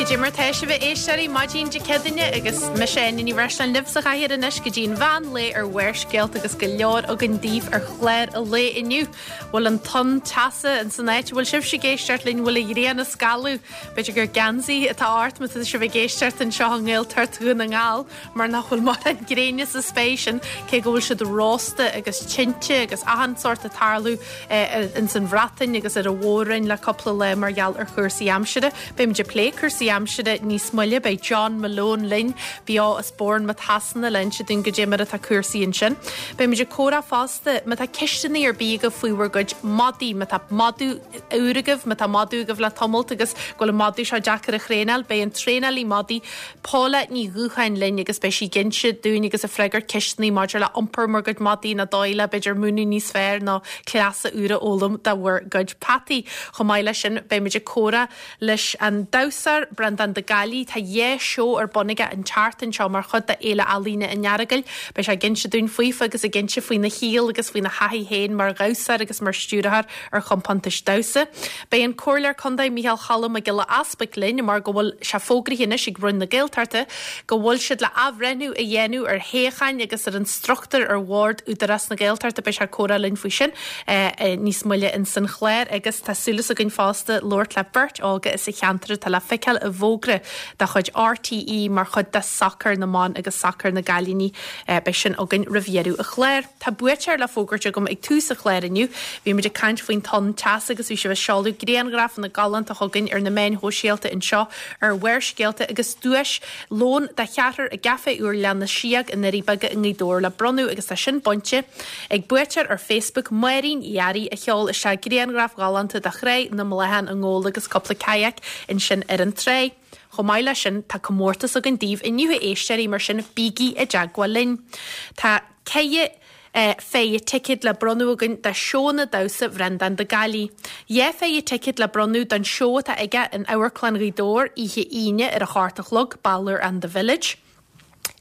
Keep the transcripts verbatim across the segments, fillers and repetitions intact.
Goidé mar tá sibh a éisteoirí maidin Dé Céadaoine agus mise Áine Ní Bhreisleáin libh sa chathaoir anois go dtí an mheán lae ar Bharrscéalta agus go leor againn daoibh ar chlár an lae inniu. Bhfuil an tonn teasa in san áit bhfuil sibh ag éisteacht linn bhfuil an ghrian ag scalladh B'fhéidir gur geansaí atá ort má tá sibh ag éisteacht anseo i nGaeltacht Dhún na nGall mar nach bhfuil mórán gréine sa spéir sin cé go bhfuil siad rósta agus tinte agus achan sórt ag tarlú in san Bhreatain agus ar an mhór-roinn le cúpla lá mar gheall ar chúrsaí aimsire. Beimid ag plé cúrsaí aimsire níos moille beidh John Malone linn beo as Bournemouth Shasana le hinse dúinn goidé mar atá cúrsaí ansin. Beimid ag comhrá fosta má tá ceisteanna ar bith agaibh faoi bhur gcuid madaí má tá madadh úr agaibh má tá madadh agaibh le tamall agus go bhfuil an madadh seo deacair a thraenáil, beidh an traenálaí madaí Paula Ní Dhúcháin linn agus beidh sí ag inse dúinn agus ag freagairt ceisteanna maidir le iompar bhur gcuid madaí nó dóigh le b'fhéidir múineadh níos fearr nó cleasa úr a fhoghlaim do bhur gcuid peataí. Chomh maith leis sin beimid ag comhrá leis an damhsóir Breandán de Gailí tá dhá seó ar bun aige an tseachtain seo mar chuid de Fhéile Ealaíne an Earagail, Beidh sé ag inse dúinn faofa agus ag inse faoina shaol agus faoina thaithí féin mar dhamhsóir agus mar stiúrthóir ar chompántais damhsa. Beidh an Comhairleoir Contae Micheál Cholm Mac Giolla Easbuig linn mar go bhfuil sé fógraithe anois ag Roinn na Gaeltachta go bhfuil siad le athbhreithniú a dhéanamh ar shuíocháin agus ar an struchtúr ar bhord Údarás na Gaeltachta beidh sé ag comhrá linn faoi sin eh, níos moille in san chlár agus tá súil againn fosta labhairt le beirt óga as an cheantar atá le feiceáil i bhfógra de chuid RTÉ mar chuid de sacar na mban agus sacar na gcailíní eh, beidh sin againn roimh dheireadh an chláir. Tá buaiteoir le fógairt agam ag tús an chláir inniu, Bhí muid ag caint faoin tonn teasa agus bhí sibh ag seoladh grianghrafanna galánta chugainn ar na meáin shóisialta anseo ar Bharrscéalta agus duais lón de cheathrar i gcaife úr Ghleann na Síog i nDoirí Beaga i nGaoth Dobhair le bronnadh agus tá sin bainte ag buaiteoir ar Facebook Máirín Dhearaí a sheol isteach grianghraf galánta de Thráigh na mBláthán i nGabhla agus cúpla kayak ansin ar an trá. Chomh maith leis sin tá comórtas againn daoibh inniu a éisteoirí mar sin bígí i dteagmháil linn. Tá ceithre eh, péire ticéad le bronnadh againn do seónna damhsa Bhreandán de Gailí. Dhá phéire ticéad le bronnadh don seó atá aige in Amharclann Ghaoth Dobhair oíche Aoine ar a hocht a chlog Balor and the Village.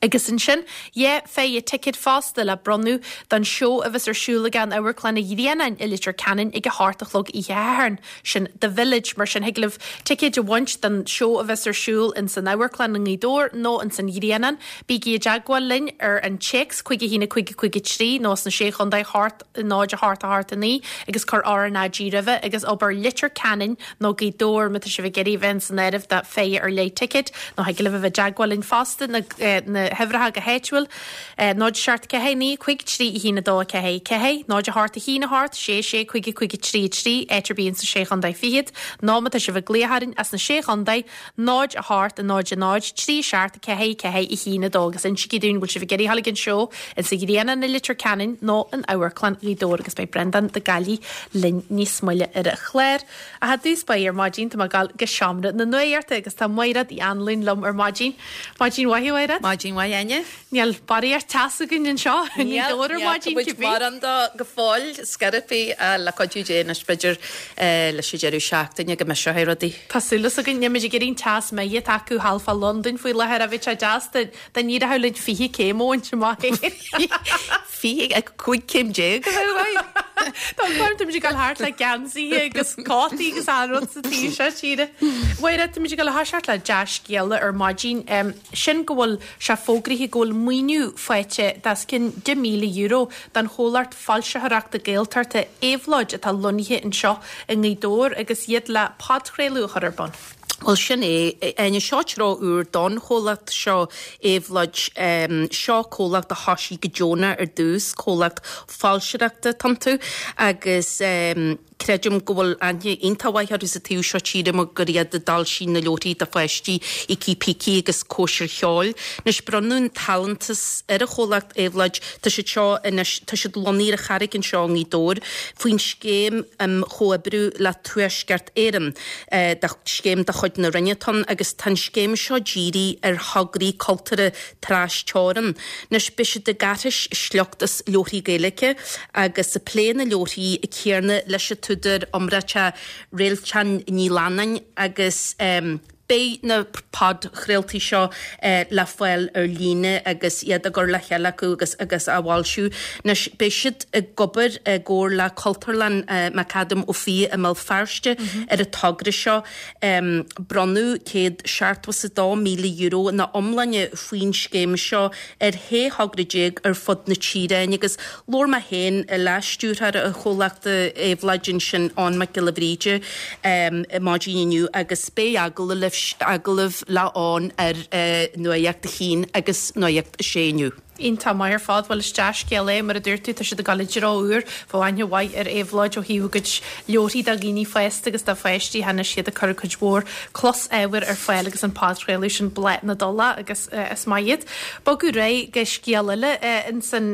Agus ansin dhá phéire ticéad fosta le bronnadh don seó a bheas ar siúl aige in Amharclann an Ghrianáin i Leitir Ceanainn ag a hocht a chlog oíche Shathairn sin The Village mar sin thig libh ticéid a bhaint don seó a bheas ar siúl in san Amharclann i nGaoth Dobhair nó in san Ghrianán, Bígí i dteagmháil linn ar an téacs cúig a haon cúig cúig trí nó sna sé chontae hocht náid a hocht a hocht a naoi agus cuir RnaG roimhe agus abair Leitir Ceanainn nó Gaoth Dobhair má tá sibh ag iarraidh bheith san áireamh do phéire ar leith ticéad nó thig libh a bheith i dteagmháil linn fosta na, eh, na huimhreacha go háitiúil náid seacht ceathair naoi cúig trí haon a dó ceathair ceathair, náid a hocht a haon a hocht sé sé cúig cúig trí trí áit ar bith insa sé chontae fichead, nó má tá sibh ag glaoch orainn as na sé chontae náid a hocht a náid a náid trí seacht ceathair ceathair a haon a dó agus insígí dúinn bhfuil sibh ag iarraidh dul ag an seó in sa Ghrianán i Leitir Ceanainn nó in Amharclann Ghaoth Dobhair agus beidh Breandán de Gailí linn níos moille ar an chlár. A dtús báire ar maidin tá mé ag gabháil go seomra na nuachta agus tá Máiréad Uí Anluain liom ar maidin. Maidin mhaith Mháiréad? Maidin mhaith Áine? Níl barraíocht teasa againn anseo i nGaoth Dobhair ar maidin cibé. Mar an go fóill scarapí le cuidiú Dé anois b'fhéidir leis an deireadh seachtaine go mbeidh seo rudaí. Tá súil againn nílimid ag iarraidh an teas méith atá acu thall fá Londain faoi láthair a bhí sé deas dá n-éireodh linn fiche céim a bhaint amach. Fiche cúig céim déag a bheith Tá táimid ag gabháil thart le geansaithe agus cótaí agus an rud sa tír seo tíre. Mháire táimid ag gabháil a thoiseacht le dea-scéala ar maidin sin go bhfuil sé fógraithe go bhfuil maoiniú faighte os cionn deich míle euro don chomhlacht foilsitheoireachta Gaeltachta Éabhlóid atá lonnaithe anseo i nGaoth Dobhair agus iad le podchraoladh a chur ar bun. Well sin é Áine seo treo úr don chomhlacht seo Éabhlóid seo comhlacht a thosaigh go deonach ar dtús comhlacht foilsitheoireachta iontu agus um, creidim go bhfuil aithne iontach mhaith orthu sa taobh seo tíre mar gur iad a d'fhoilsigh na leabharthaí do pháistí Ící Pící agus Cóisir Cheoil. Anois bronnadh an t-allúntas ar an chomhlacht Éabhlóid tá siad seo anois tá siad lonnaithe ar an Charraig anseo i nGaoth Dobhair faoin scéim um chomhoibriú le Tuaisceart Éireann eh, de scéim de chuid na Roinne atá ann agus tá an scéim seo dírithe ar thograí cultúrtha trasteorann. Anois beidh siad ag aithris sliocht as leabharthaí Gaeilge agus ag plé na leabharthaí céanna leis an t-údar iomráiteach Réaltán Ní Leannáin agus um, Beidh na podchraoltaí seo le fáil ar líne agus iad á gcur le chéile acu agus agus á bhfoilsiú. Anois beidh siad ag obair i gcomhar le Cultúrlann McAdam Ó Fiaich i mBéal Feirste ar an togra seo. Bronnadh céad seachtó is a dó míle euro ina iomláine faoin scéim seo ar shé thogra déag ar fud na tíre agus labhair mé féin le stiúrthóir an chomhlachta Éabhlóid ansin, Eoin Mac Giolla Bhríde, maidin inniu agus beidh agallamh agallamh le Eoin ar Nuacht a hAon agus Nuacht a Sé inniu. Iontach maith ar fad, bhuel is dea-scéal é, mar a dúirt tú, tá siad ag dul i dtreo úr, bheadh aithne mhaith ar Éabhlóid ó thaobh a gcuid leabharthaí do dhaoine fásta agus do pháistí, tháinig siad ag cur cuid mhór closábhair ar fáil agus an podchraoladh sin Bláth na dTulach agus is maith iad. Bogadh ar aghaidh go scéal eile insan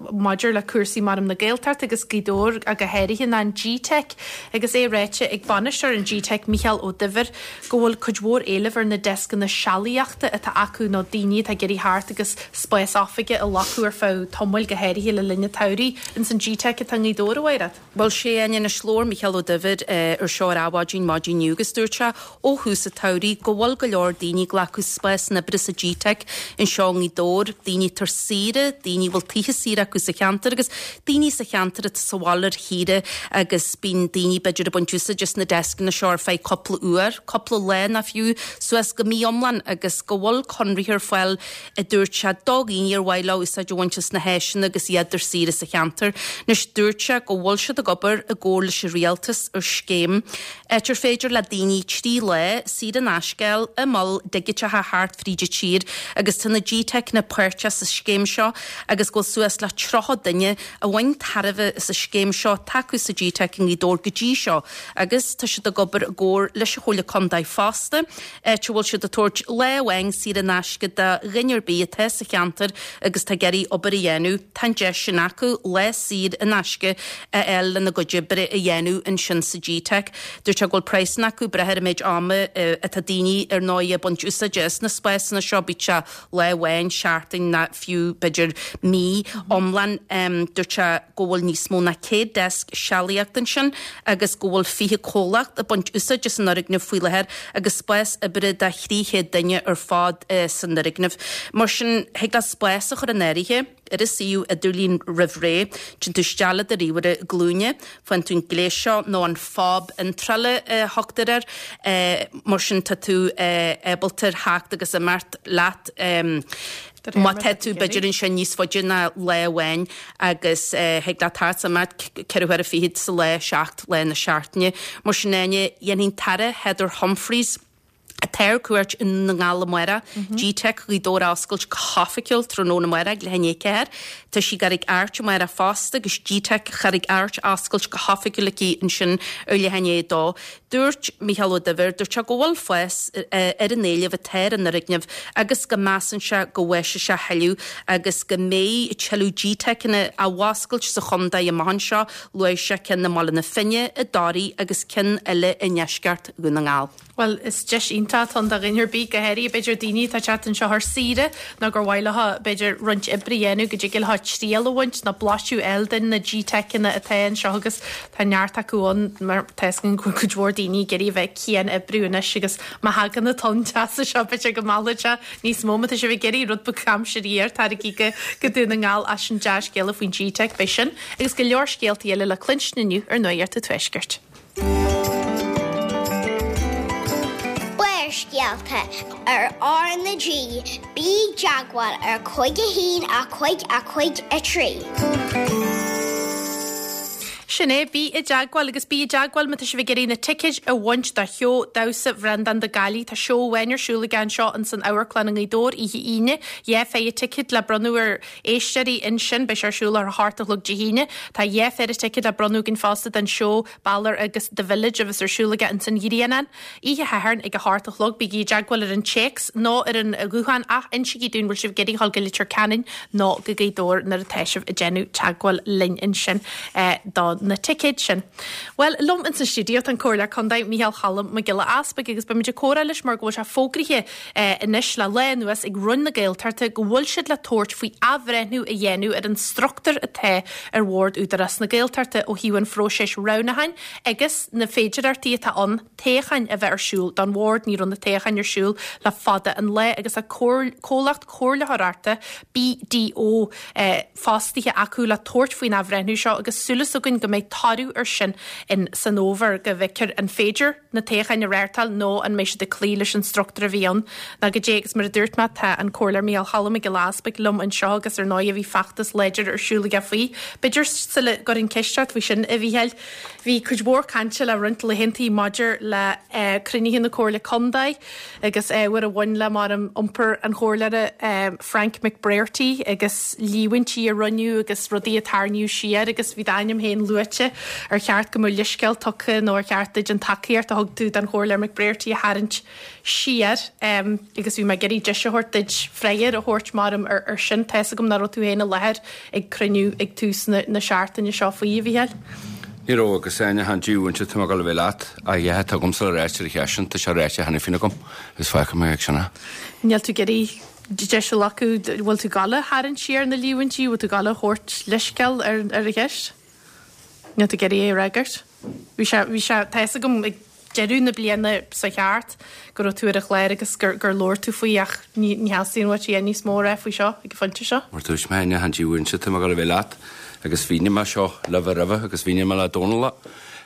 maidir le cúrsaí maram na Gaeltacht agus Gaoth Dobhair go háirithe ná an G-Teic agus é ráite ag bainisteoir an G-Teic Mícheál Ó Duibhir go bhfuil cuid mhór éilimh ar na deascanna sealaíochta atá acu nó daoine atá ag iarraidh theacht agus spás oifige a ghlacadh ar feadh tamaill go háirithe le linn an tsamhraidh ins an G-Teic atá i nGaoth Dobhair, a Mhairéad. Bhuel sé anois labhair Mícheál Ó Duibhir ar seo ar Adhmhaidin maidin inniu agus dúirt sé ó thús an tsamhraidh go bhfuil go leor daoine ag glacadh spásanna oibre sa G-Teic anseo i nGaoth Dobhair, daoine atá ar saoire, daoine a bhfuil tithe saoire acu sa cheantar agus daoine sa cheantar atá sa bhaile ar shaoire agus bíonn daoine b'fhéidir ag baint úsáid as na deascanna seo ar feadh cúpla uair, cúpla lá nó fiú suas go mí iomlán agus go bhfuil conraithe ar fáil a dúirt sé do dhaoine ar mhaith leo úsáid a bhaint as na háiseanna agus iad ar saoire sa cheantar. Anois dúirt sé go bhfuil siad ag obair i gcomhar leis an rialtas ar scéim áit ar féidir le daoine trí lá saor in aisce a fháil i moil dhigiteacha thart fríd an tír agus tá na G-Teiceanna páirteach sa scéim seo agus go bhfuil suas le tríocha duine a bhain tairbhe as an scéim seo atá acu sa G-Teic i nGaoth Dobhair go dtí seo agus tá siad ag obair i gcomhar leis an Chomhairle Contae fosta áit a bhfuil siad ag tabhairt lá amháin saor in aisce do dhuine ar bith atá sa cheantar agus tá ag iarraidh obair a dhéanamh. Tá an deis sin acu lá saor in aisce a fháil lena gcuid oibre a dhéanamh ansin sa G-Teic. Dúirt sé go bhfuil praghsanna acu ag brath ar an méid ama atá daoine ar ndóigh ag baint úsáide as na spásanna seo, bíodh sé lá amháin, seachtain nó fiú b'fhéidir mí iomlán. Dúirt sé go bhfuil níos mó ná céad deasc sealaíochta ansin agus go bhfuil fiche comhlacht ag baint úsáid as an fhoirgneamh faoi láthair agus spás oibre do thrí chéad duine ar fad san fhoirgneamh. Mar sin thig leat spás a chur in áirithe ar an suíomh idirlín roimh ré, téann tú isteach le do ríomhaire glúine, faigheann tú an gléas seo nó an fob iontrála a thugtar air, mar sin tá tú ábalta ar theacht agus imeacht leat má tá tú b'fhéidir ansin níos faide ná lá amháin agus thig leat theacht is imeacht ceithre huaire fichead sa lá, seacht lá na seachtaine. Mar sin Áine, dhéanfaidh an tAire Heather Humphreys, atá ar cuairt i nDún na nGall amárach, G-Teic Ghaoth Dobhair a oscailt go hoifigiúil tráthnóna amárach ag leath i ndiaidh a ceathair. Tá sí i gCarraig Airt amárach fosta agus G-Teic Charraig Airt á oscailt go hoifigiúil aici ansin ar leath i ndiaidh a dó. Dúirt Mícheál Ó Duibhir, dúirt sé go bhfuil fás ar an éileamh atá ar an fhoirgneamh agus go measann sé go bhfásfaidh sé thuilleadh agus go mbeidh tuilleadh G-Teiceanna á bhfoscailt sa chontae amach anseo, luaigh sé ceann i mBaile na Finne, i dToraigh agus ceann eile i ndeisceart Dhún na nGall. Bhuel, is deis iontach atá ann do dhuine ar bith, go háirithe b'fhéidir daoine atá ag teacht anseo ar saoire nó gur mhaith leo b'fhéidir roinnt oibre a dhéanamh go dtig leo triail a bhaint nó blaiseadh a fháil de na G-Teiceanna atá anseo agus tá neart acu ann mar tá a fhios againn go bhfuil cuid mhór daoine ag iarraidh a bheith cian-oibriú anois agus má thagann an tonn teasa seo b'fhéidir go meallfaidh sé níos mó má tá sibh ag iarraidh rud beag aimsir fhuar taraigí go go Dún na nGall as sin dea-scéala faoin G-Teic beidh sin agus go leor scéaltaí eile le cluinstin inniu ar Nuacht an Tuaiscirt. Barrscéalta ar R na G, bí i dteagmháil ar cúig a haon a cúig a cúig a trí. Sin é, bí i dteagmháil agus bí i dteagmháil má tá sibh ag iarraidh na ticéid a bhaint do sheó damhsa Bhreandán de Gailí. Tá seó amháin ar siúl aige anseo ins an Amharclann i nGaoth Dobhair oíche Aoine. Dhá phéire ticéad le bronnadh ar éisteoirí ansin, beidh sé ar siúl ar a hocht a chlog Dé hAoine. Tá dhá phéire ticéad le bronnadh againn fosta don seó Balor agus The Village a bheas ar siúl aige ins an Ghrianán. Oíche Shathairn ag a hocht a chlog, bígí i dteagmháil ar an téacs nó ar an ghuthán ach insígí dúinn bhfuil sibh ag iarraidh dhul go Leitir Ceanainn nó go Gaoth Dobhair nuair atá sibh ag déanamh teagmháil linn ansin do na ticéid sin. Well, liom in sa stiúideo tá an Comhairleoir Contae Micheál Cholm Mac Giolla Easpaig agus beimid ag comhrá leis mar go bhfuil sé fógraithe eh, anois le lá anuas ag Roinn na Gaeltachta go bhfuil siad le tabhairt faoi athbhreithniú a dhéanamh ar an struchtúr atá ar bhord Údarás na Gaeltachta ó thaobh an phróisis roghnúcháin agus na féidearthachtaí atá ann toghcháin a bheith ar siúl don bhord ní raibh na toghcháin ar siúl le fada an lá agus a comhlacht comhairleoireachta BDO eh, fostaithe acu le tabhairt faoin athbhreithniú seo agus súil againn go mbeidh toradh ar sin in san fhómhar go bhfeicfear an féidir na toghcháin a reáchtáil nó an mbeidh siad ag cloí leis an struchtúr a bhí ann. Ná go dé agus mar a dúirt mé tá an Comhairleoir Micheál Cholm Mac Giolla Easpaig liom anseo agus ar ndóigh bhí feachtas láidir ar siúl aige faoi. B'fhéidir sula gcuirfinn ceist ort faoi sin a Mhícheáil. Bhí cuid mhór cainte le roinnt laethanta maidir le eh, cruinnithe na Comhairle Contae agus ábhar a bhain le mar an iompar an chomhairleora eh, Frank McBrearty agus líomhaintí a rinneadh agus rudaí a tarraingíodh siar agus bhí d'ainm féin luaite ar cheart go mbeadh leithscéal tugtha nó ar cheart duit an tacaíocht a thug tú don chomhairleoir McBrearty a tharraingt siar um, agus bhí mé ag iarraidh deis a thabhairt duit freagra a thabhairt mar ar, ar sin tá a fhios agam nach raibh tú féin i láthair ag cruinniú ag tús na, na seachtaine seo faoi a Mhícheáil. Ní raibh agus aine han dúinte tá go bhfuil leat a dhéthe agam sa réite chean tá sé réite cheana féin agam is fágfaidh mé ag sinna. Níl tú ag iarraidh deis a ghlacadh bhfuil tú ag gabháil a tharraingt siar na líomhaintí, bhfuil tú ag gabháil a thabhairt leithscéal ar ar a cheist? Níl tú ag iarraidh é a fhreagairt. Bhí sé bhí sé tá a fhios agam ag deireadh na bliana sa cheart go raibh tú ar an chlár agus gur gur labhair tú faoi ach ní ní theastaíonn uait é níos mó rá faoi seo ag an phointe seo. Mar dúirt mé aine han dúinte tá go bhfuil leat agus bhí mé seo le bheith roimhe agus bhí mé le Dónal.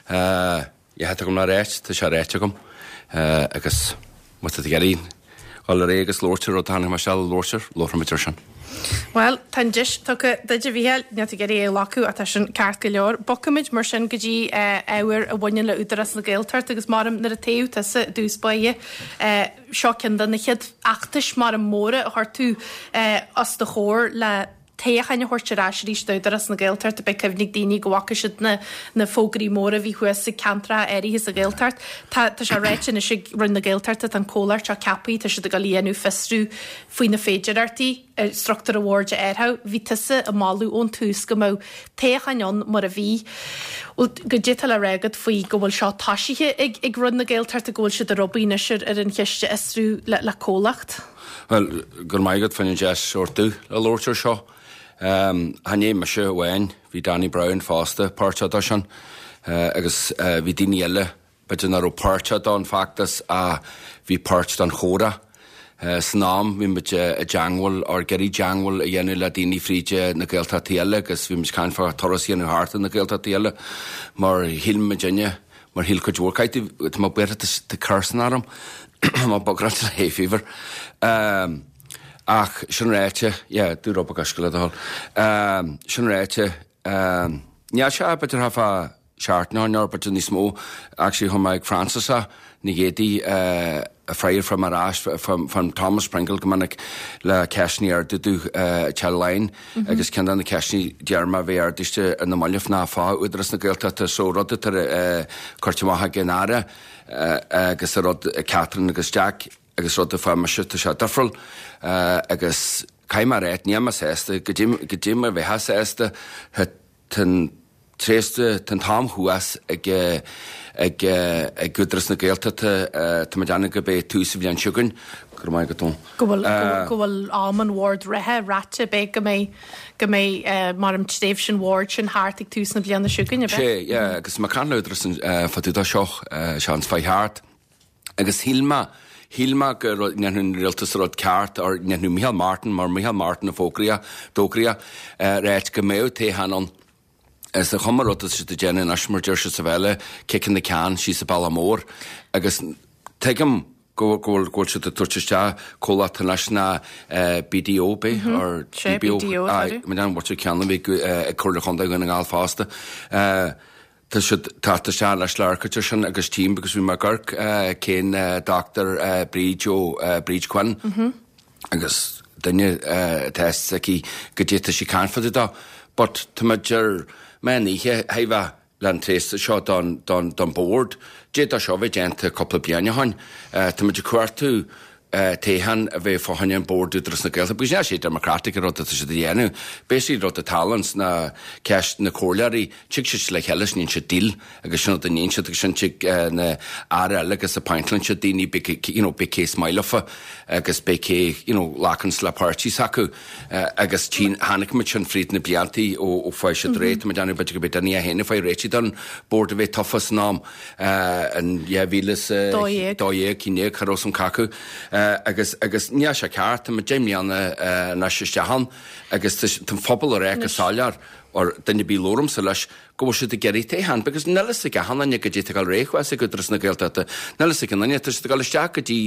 Dhéthe agam le réit tá sé réite agam agus má tá geín Al ré agus lóirtir ó tháinig mar se lóirtir lóthmuidir sin. Well, tá deis tugtha duit a Mhícheáil níl tú ag iarraidh é a ghlacadh atá sin ceart go leor. Bogfaimid mar sin go dtí ábhar a bhaineann le Údarás na Gaeltachta agus mar nuair a toghadh tusa i dtús báire seo ceann de na chéad fheachtais mar an móra a chuir tú os do chomhair le toghcháin a thabhairt ar ais arís d'Údarás na Gaeltachta beidh cuimhne ag daoine go bhfaca siad na, na fógraí móra bhí thuas i gceantracha áirithe sa Ghaeltacht. Tá tá sé ráite anois ag Roinn na Gaeltachta tá an comhlacht seo ceaptha, tá siad ag dul a dhéanamh fiosrú faoi na féidearthachtaí struchtúr an bhoird a athrú. Bhí tusa ag moladh ón tús go mbeadh toghcháin ann mar a bhí. Goidé atá le rá agat faoi go bhfuil seo tosaithe ag, ag Roinn na Gaeltachta go bhfuil siad ag obair anois ar ar an cheist a fhiosrú le, le comhlacht. Well, gur maigad fan deis ortú le labhairt ar seo. Um, Chan é mise amháin, bhí Danny Brown fosta páirteach de sin, uh, agus uh, bhí daoine eile b'fhéidir nach raibh páirteach don fheachtas a bhí páirt den chomhrá. Uh, san am bhí muid i dteagmháil ar ag iarraidh teagmháil a dhéanamh le daoine fríd na Gaeltachtaí eile agus bhí muid caint fá turas a dhéanamh thart na Gaeltachtaí eile mar shíl muid inne mar shíl cuid mhór Tá má b'fhéidir tá cursan arm má bográ le hay fever. Um, ach sin ráite yeah, dú roba go le dul. Um, sin ráite um, Ní sé b'fhéidir ha fa seart ná ná b'fhéidir níos mó actually chum ag Francis a na géadaí uh, a freir from ar ais from, from Thomas Pringle go minic le ceisteanna a ardú uh, line mm -hmm. agus ceann de na ceisteanna deireanacha bhí ardaithe na mallaibh ná fá Údarás na Gaeltachta so rud uh, curtha amach ag an Aire uh, agus a rud Catherine agus Jack agus rud a fa se tá sé difriúil uh, agus caithfidh mé rá ní sásta go dtí mar bheith sásta ten tréiste ten tam thuas ag ag ag Údarás na Gaeltachta tá déanamh go bé tús a bhliain seo chugainn gur maith go tó. Go bhfuil go bhfuil am an bhoird reatha ráite bé go mbeidh go mbeidh mar an tréimhse an bhoird sin thart ag tús na bliana seo chugainn Sé agus má can údaras fadú seo seans fá thart. Agus shíl mé Shíl mé go ndéanfadh rialtas rud ceart ar ndéanfadh Micheál Martin mar Micheál Martin a fógraíodh d'fhógraíodh ráit go mbeadh toghchán ann. Is a chuma rud si déanamh anois mar deir siad sa bheile kicking the can síos an bealach mór agus tuigim go bhfuil go siad tabhairt isteach comhlacht leis na BDO bé or BDO an bhfuil ceann bhí ag Comhairle Chontae Dhún na nGall fosta. Tá siad tá se leis leircair sin agus tím agus bhí mar gurc cén Dr. Bríd ó Bríd Quinn agus duine test aici go dté sí canfad dá, but tá ar me níche heimh le an tréiste seo don, don, don board. Dé tá seo bheith déanta cúpla bliain ó shin. Tá muid cuartú Toghchán a bheith fá choinne an bord Údarás na Gaeltachta, because níl sé democratic an rud atá siad a dhéanamh. Basically rud atá ann ná ceist na comhairleoirí, tig siad le chéile is níonn siad deal agus sin rud a níonn siad agus sin tig na aire eile agus appointeann siad daoine big you know big case maith agus big cé you know lacann le páirtí s'acu agus tháinig muid sin fríd na bliantaí ó ó fuair siad réidh, tá mé ag déanamh b'fhéidir go b'é duine a haon a fuair réitigh don bord a bheith tofa san am an dhá mhíle is Dó dhéag. dó dhéag, cinn déag, cha raibh san cacu agus agus níl sé ceart, tá muid deich mbliana anois isteach ann agus tá an phobal ag rá go soiléir or duine ar bith labhraímsa leis go bhfuil siad ag iarraidh toghchán because níl a fhios ag achan duine goidé atá ag dul ar aghaidh thuas ag Údarás na Gaeltachta. Níl a fhios ag aon duine, tá siad ag dul isteach go dtí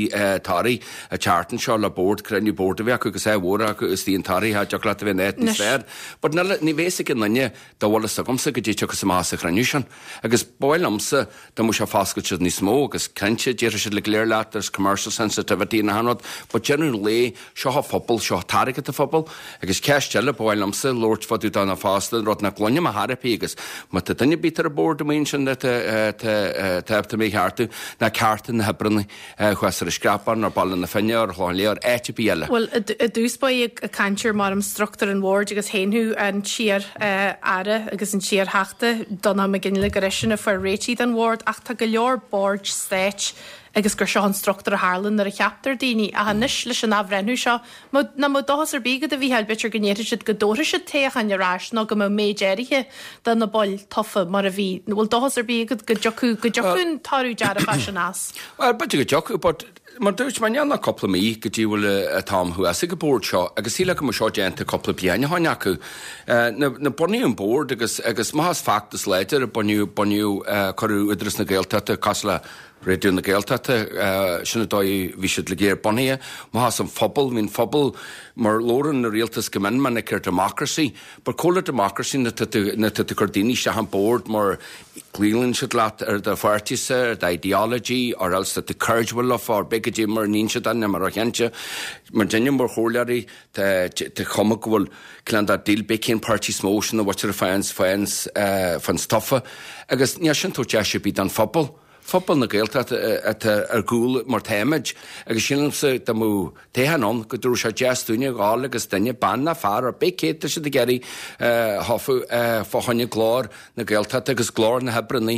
Toraigh an tseachtain seo le bord, cruinniú boird a bheith acu agus é mhór acu is an Toraigh cha dtiocfadh leat a bheith in áit níos fearr. But níl ní bheidh ag aon duine dá bhfuil fhios agamsa goidé tiocfas amach sa chruinniú sin. Agus ba mhaith liomsa dá mbeadh sé foscailte níos mó agus cinnte déarfaidh siad le go léir leat there's commercial sensitivity na han rud, but deireadh an lae seo an phobal, seo airgead an phobal, agus ceist eile ba mhaith liomsa labhairt fá dtaobh de fosta rud nach gcluinim ar chor ar bith agus má tá duine ar bith ar an bord amuigh ansin tá mé cheartú ná cearta na hoibreanna thuas ar an Screapán ar Baile na Finne ar Chlochán Liath ar áit ar bith eile. Well i dtús báire ag caint ar mar an struchtúr an bhoird agus shéan an t-iar-aire agus an t-iar-theachta Donnchadh Mac Fhionnghaile gur eisean a fuair réitigh don bhord ach tá go leor boird stáit agus gur seo an struchtúr a tharlaíonn nuair a cheaptar daoine ach anois leis an athbhreithniú seo ná mbeadh dóchas ar bith agat a Mhícheáil b'fhéidir go ndéarfaidh siad go dtabharfaidh siad toghchán ar ais nó go mbeadh méid áirithe de na baill tofa mar a bhí. Bhfuil dóchas ar bith agat go dtiocfadh go dtiocfadh an toradh dearfach sin as. Well b'fhéidir go dtiocfadh, but mar dúirt mé níl ach cúpla mí go dtí bhfuil an t-am thuas ag an bord seo agus sílim go mbeadh seo déanta cúpla bliain ó shin acu. Na na bunaíodh an bord agus agus maith as feachtas láidir a bunaíodh bunaíodh cuireadh Údarás na Gaeltachta cosúil le Raidió na Gaeltachta sin an dóigh bhí siad le géar bunaithe, maith as an phobal, bhí an phobal mar labhrann na rialtas go mion minic ar democracy, but cá bhfuil democracy na tá tú cur daoine isteach an bord mar glaonn siad leat ar do pháirtísa, ar do ideology, or else that the courage will leofa, or b'fhéidir goidé mar níonn siad ann mar chinnte. Mar duine mar chomhairleoirí tá cuma go bhfuil cineál dá deal b'é cén páirtí is mó sin na bhfuil fans fans fans tofa agus níl sin tabhairt deis ar bith don phobal. Phobal na Gaeltachta atá ar gcúl mar táimid agus sílimse dá mbeadh toghchán ann go dtabharfadh sé deis dúinne dhul agus duine bean ná fear ar bith cé tá siad ag iarraidh thofa fá choinne glór na Gaeltachta agus glór na hoibreanna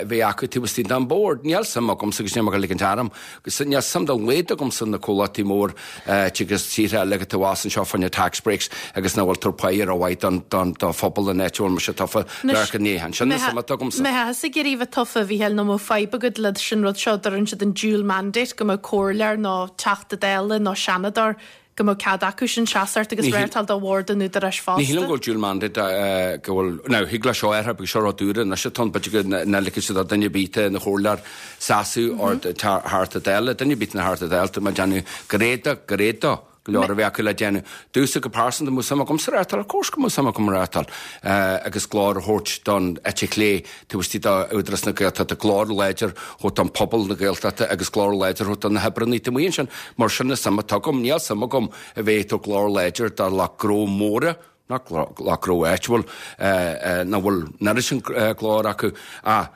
bheith acu taobh istigh den bord. Níl suim agamsa agus níl mé ag ligint orm, agus níl suim dá laghad agamsa na comhlachtaí mór agus tíortha eile atá abhus anseo fá choinne tax breaks agus nach bhfuil tabhairt pá rómhaith don don do phobal an áit a bhfuil mise tofa lear go ní. Sin na suim atá agamsa. Mé ag iarraidh bheith tofa a Mhícheáil nó mbeadh fadhb agat le sin rud seo deireann siad an dual mandate go mbeadh comhairleoir nó Teachta Dála nó Seanadóir go mbeadh cead acu sin seasamh agus reáchtáil do bhord an Údaráis fosta. Ní shílim go bhfuil dual mandate go bhfuil now thig le seo athrú because seo rud úr anois atá ann b'fhéidir go n-ligfidh siad do duine ar bith ina chomhairleoir seasamh or Teachta Dála duine ar bith ina Theachta Dála tá mé ag déanamh go réadach go réadach go leor a bheith acu le déanamh. Domhsa go pearsanta mbeadh suim agamsa reáchtáil, of course go mbeadh suim agam reáchtáil agus glór a thabhairt don eite chlé taobh istigh d'Údarás na Gaeltachta, glór láidir a thabhairt don phobal na Gaeltachta agus glór láidir a thabhairt do na hoibreanna taobh amuigh ansin. Mar sin na suim atá agam, níl suim agam a bheith ag tabhairt glór láidir do lucht gnó móra, nach lucht gnó áitiúil, nach bhfuil an oiread sin glór acu ach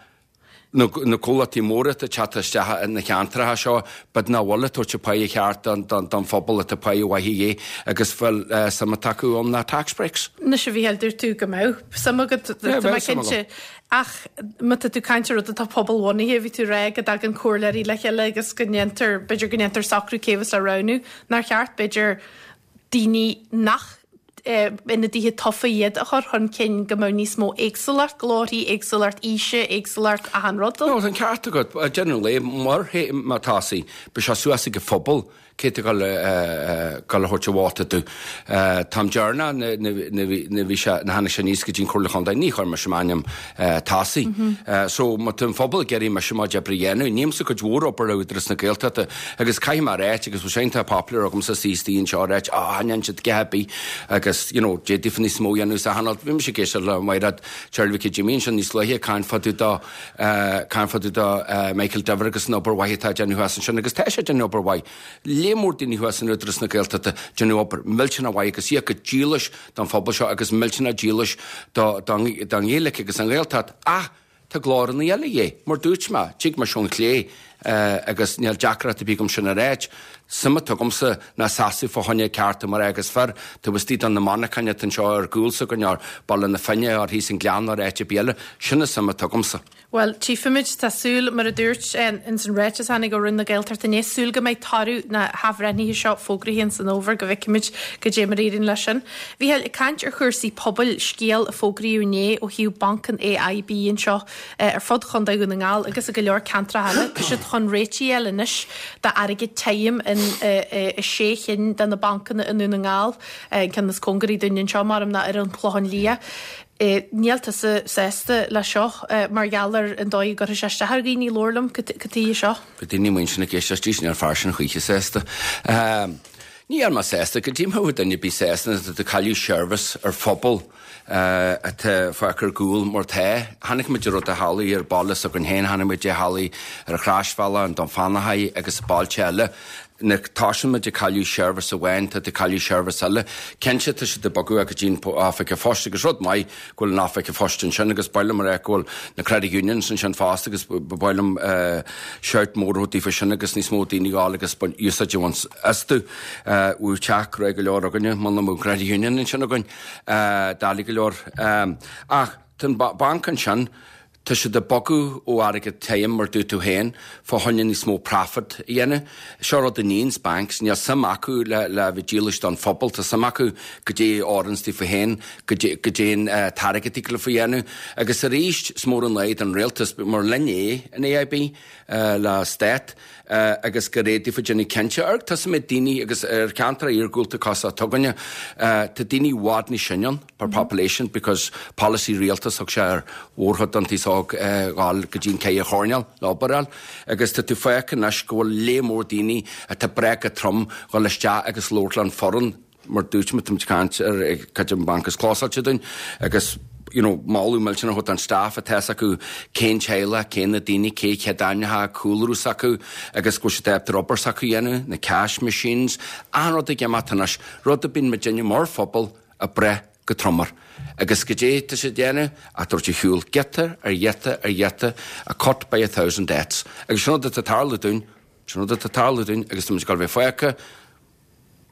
na na comhlachtaí móra atá ag teacht isteach na ceantracha seo, but nach bhfuil ag tabhairt an pá cheart don don don phobal atá pá mhaith a dhíth agus bhfuil suim atá acu ann ná tax breaks. Anois a Mhícheáil dúirt tú go mbeadh suim agat Yeah, tá mé bheadh suim agam. cinnte. Ach má tá tú caint ar rud atá pobalbhunaithe, bhí tú ag rá go dtagann comhairleoirí le chéile agus go ndéantar b'fhéidir go ndéantar socrú cé bheas le roghnú, nár cheart b'fhéidir daoine nach ionadaithe tofa iad a chur chun cinn go mbeadh níos mó éagsúlacht, glórthaí, éagsúlacht aoise, éagsúlacht achan rud. No, tá an ceart agat, déanamh le mar má tá sí, beidh sé suas ag an phobal cé tá ag dul a thabhairt a vóta dó. Táim deireanach na bhí sé na tháinig sé aníos go dtí an Chomhairle Chontae, ní chuir mise m'ainm tosaigh. So má tá an phobal ag iarraidh mise mo chuid oibre a dhéanamh, nímsa cuid mhór obair le Údarás na Gaeltachta agus caithfidh mé a ráit agus bhfuil sé iontach popular agamsa suí anseo a ráit, ah, ndéan siad a dhath ar bith agus you know, d'fhéadfaí níos mó a dhéanamh sa chainéal. Bhí mise ag éisteacht le Mairéad Charlie Mhicí Jimmy ansin níos luaithe caint fá dtaobh do caint fá dtaobh do Michael Diver agus an obair mhaith atá ag déanamh thuas ansin agus tá sé ag déanamh obair mhaith. Lear mór daoine thuas in Údarás na Gaeltachta déanamh obair millteanach mhaith agus iad go dílis don phobal seo agus millteanach dílis do don don Ghaeilge agus an Ghaeltacht ach tá glóranna eile dhé, mar dúirt mé, tig mise ón chlé agus níl deacracht ar bith agam sin a ráit. Suim atá agamsa ná seasamh fá choinne cearta mná agus fir taobh istigh de na monarchana atá anseo ar gcúl s'againn ar Baile na Finne ar thíos an Gleann ar áit ar bith eile. Sin an suim atá agamsa. Bhuel, tchífimid tá súil mar a dúirt ins an ráiteas a tháinig ó Roinn na Gaeltachta inné súil go mbeidh toradh na hathbhreithnithe seo fógraithe ins an fhómhar go bhfeicfimid goidé mar a éiríonn leis sin. Mhícheáil, ag caint ar chúrsaí pobail, scéal a fógraíodh inné ó thaobh Banc an AIB anseo ar fud Chontae Dhún na nGall agus i go leor ceantracha eile. Tá siad chun réitigh a fháil anois d'airgead tirim in i sé chinn de na bancanna i nDún na nGall, an ceann is cóngaraí dúinn anseo mar ná ar an Chlochán Liath. Níl tusa sásta le seo mar gheall ar an dóigh a gcuirfidh sé isteach ar dhaoine labhair liom cad tuige seo. Bhí daoine muinteartha ag éisteacht níl an fear sin choíche sásta. Níl mé sásta goidé mar a bheadh duine ar bith sásta tá tú ag cailleadh seirbhís ar phobal atá fágtha ar gcúl mar tá. Chonaic muid rud a tharlaigh ar baile s'againn féin, chonaic muid a tharlaigh ar an Chroisbhealach, an Dún Fionnachaidh agus bailte eile. Nuair tosaíonn muid ag cailleadh seirbhís amháin tá tú ag cailleadh seirbhís eile. Cinnte tá siad ag bogadh go dtí an oifig an phoist agus rud maith go bhfuil an oifig an phoist ansin agus ba mhaith liom a rá go bhfuil na credit unions ansin fosta agus ba mhaith liom shout mór a thabhairt daofa sin agus níos mó daoine a ghabháil agus úsáid a bhaint astu. Bhí teach grá go leor againne muna mbeadh credit union ansin againn doiligh go leor. Ach tá an banc ansin Tá siad ag bogadh ó airgead tirim mar dúirt tú féin fá choinne níos mó profit a dhéanamh. Seo rud a níonns banks, níl suim acu le le bheith dílis don phobal, tá suim acu goidé a oireanns daofa féin, goidé an t-airgead a thig leofa a dhéanamh. Agus arís, is mór an lá don rialtas, mar linn é an AIB le stát agus gur éirigh daofa déanamh cinnte. Ar tá suim ag daoine agus ar cheantar iargúlta cosúil s'againne, tá daoine i bhfad níos sine ann per population because policy rialtas thug sé ar mhórchuid den taos óg dhul go dtí an ceithre choirnéal le obair a fháil. Agus tá tú féach anois go bhfuil léar mór daoine atá breá go trom dhul isteach agus labhairt le an foireann mar dúirt muid táimid ag caint ar cad é an banc is clósáilte dúinn agus you know, moladh millteanach a thabhairt don staff atá acu cén teaghlach, cén na daoine, cé chéad ainmneacha, cúlra s'acu agus go bhfuil siad ábalta obair s'acu a dhéanamh, na cash machines, achan rud ag imeacht anois, rud a bíonn muidinne mar phobal ag brath go trom air. Agus goidé tá siad ag déanamh ach tabhairt ar shiúl giota ar ghiota ar ghiota, a cut by a thousand deaths. Agus sin rud atá ag tarlú dúinn, sin rud atá ag tarlú dúinn agus tá muid ag dul a bheith fágtha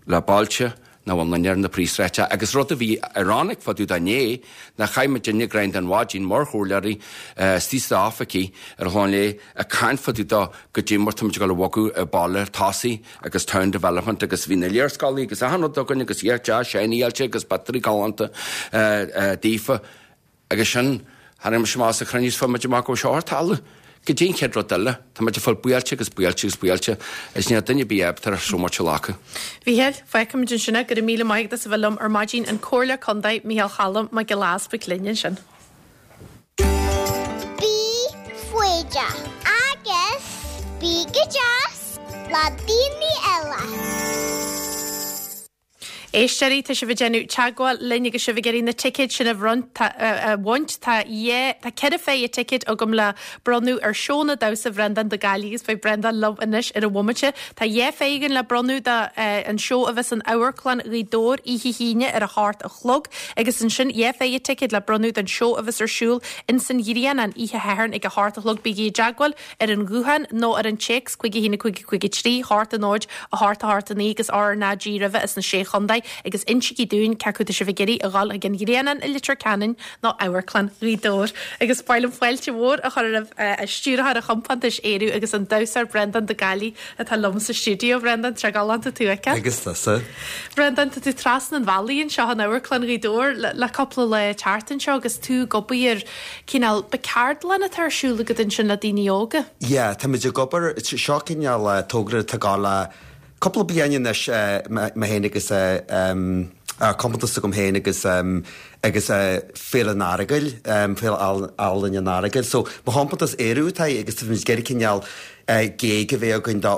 le bailte nach bhfuil duine ar na príomhshráide agus rud a bhí ironic fá dtaobh de inné ná chaith muidinne greim den mhaidin mar chomhairleoirí istigh sna oifigí ar an Chlochán Liath ag caint fá dtaobh de goidé mar tá muid ag dul a bhogadh an baile tosaigh agus town development agus bhí na léarscáilí agus achan rud againn agus iad deas shiny-áilte agus pictiúirí galánta daofa agus sin tháinig mise amach sa chruinniú is fuair muid amach go raibh seo ar talamh. Goidé an chéad rud eile, tá muid ag fáil buailte agus buailte agus buailte is níl duine ar bith ábalta so much a ghlacadh. Mhícheáil, fágfaimid ansin é, go raibh míle maith agat as a bheith liom ar maidin an Comhairleoir Contae Mícheál Cholm Mac Giolla Easbuig linn ansin. Bí foighdeach agus bí go deas le daoine eile. Éisteoirí tá sibh ag déanamh teagmháil linn agus sibh ag iarraidh na ticéid sin a bhronnadh a bhaint tá tá ceithre phéire ticéid agam le bronnadh ar seónna damhsa Bhreandán de Gaillimh agus beidh Breandán liom anois ar an bhomaite. Tá dhá phéire againn le bronnadh do an seó a bheas in Amharclann Ghaoth Dobhair oíche hAoine ar a hocht a chlog agus ansin dhá phéire ticéid le bronnadh don seó a bheas ar siúl in san Ghrianán oíche Shathairn ag a hocht a chlog bígí i dteagmháil ar an ghuthán nó ar an téacs cúig a haon a cúig a cúig a trí hocht a náid a hocht a hocht a naoi agus RnaG roimhe is na sé chontae agus insígí dúinn cé acu tá sibh ag iarraidh a dhul ag an Ghrianán i Leitir Ceanainn nó Amharclann Ghaoth Dobhair. Agus ba mhaith liom fáilte mhór a chur roimh stiúrthóir an chompántais Ériu agus an damhsóir Breandán de Gaillimh atá liom sa stiúideo Breandán tá galánta tú aici. Agus tusa. Breandán tá tú trasna an bhealaigh anseo in Amharclann Ghaoth Dobhair le, le cúpla lá teacht anseo agus tú ag obair ar cineál ceardlann atá ar siúl agat ansin le daoine óga. Yeah, tá muid ag obair seo cineál togra atá le cúpla bliain anois mé féin agus compántas agam féin agus agus Féile an Earagail, Féile Ealaíon an Earagail. So mo chompántas Ériu atá agus tá muid ag iarraidh cineál gig a bheith againn do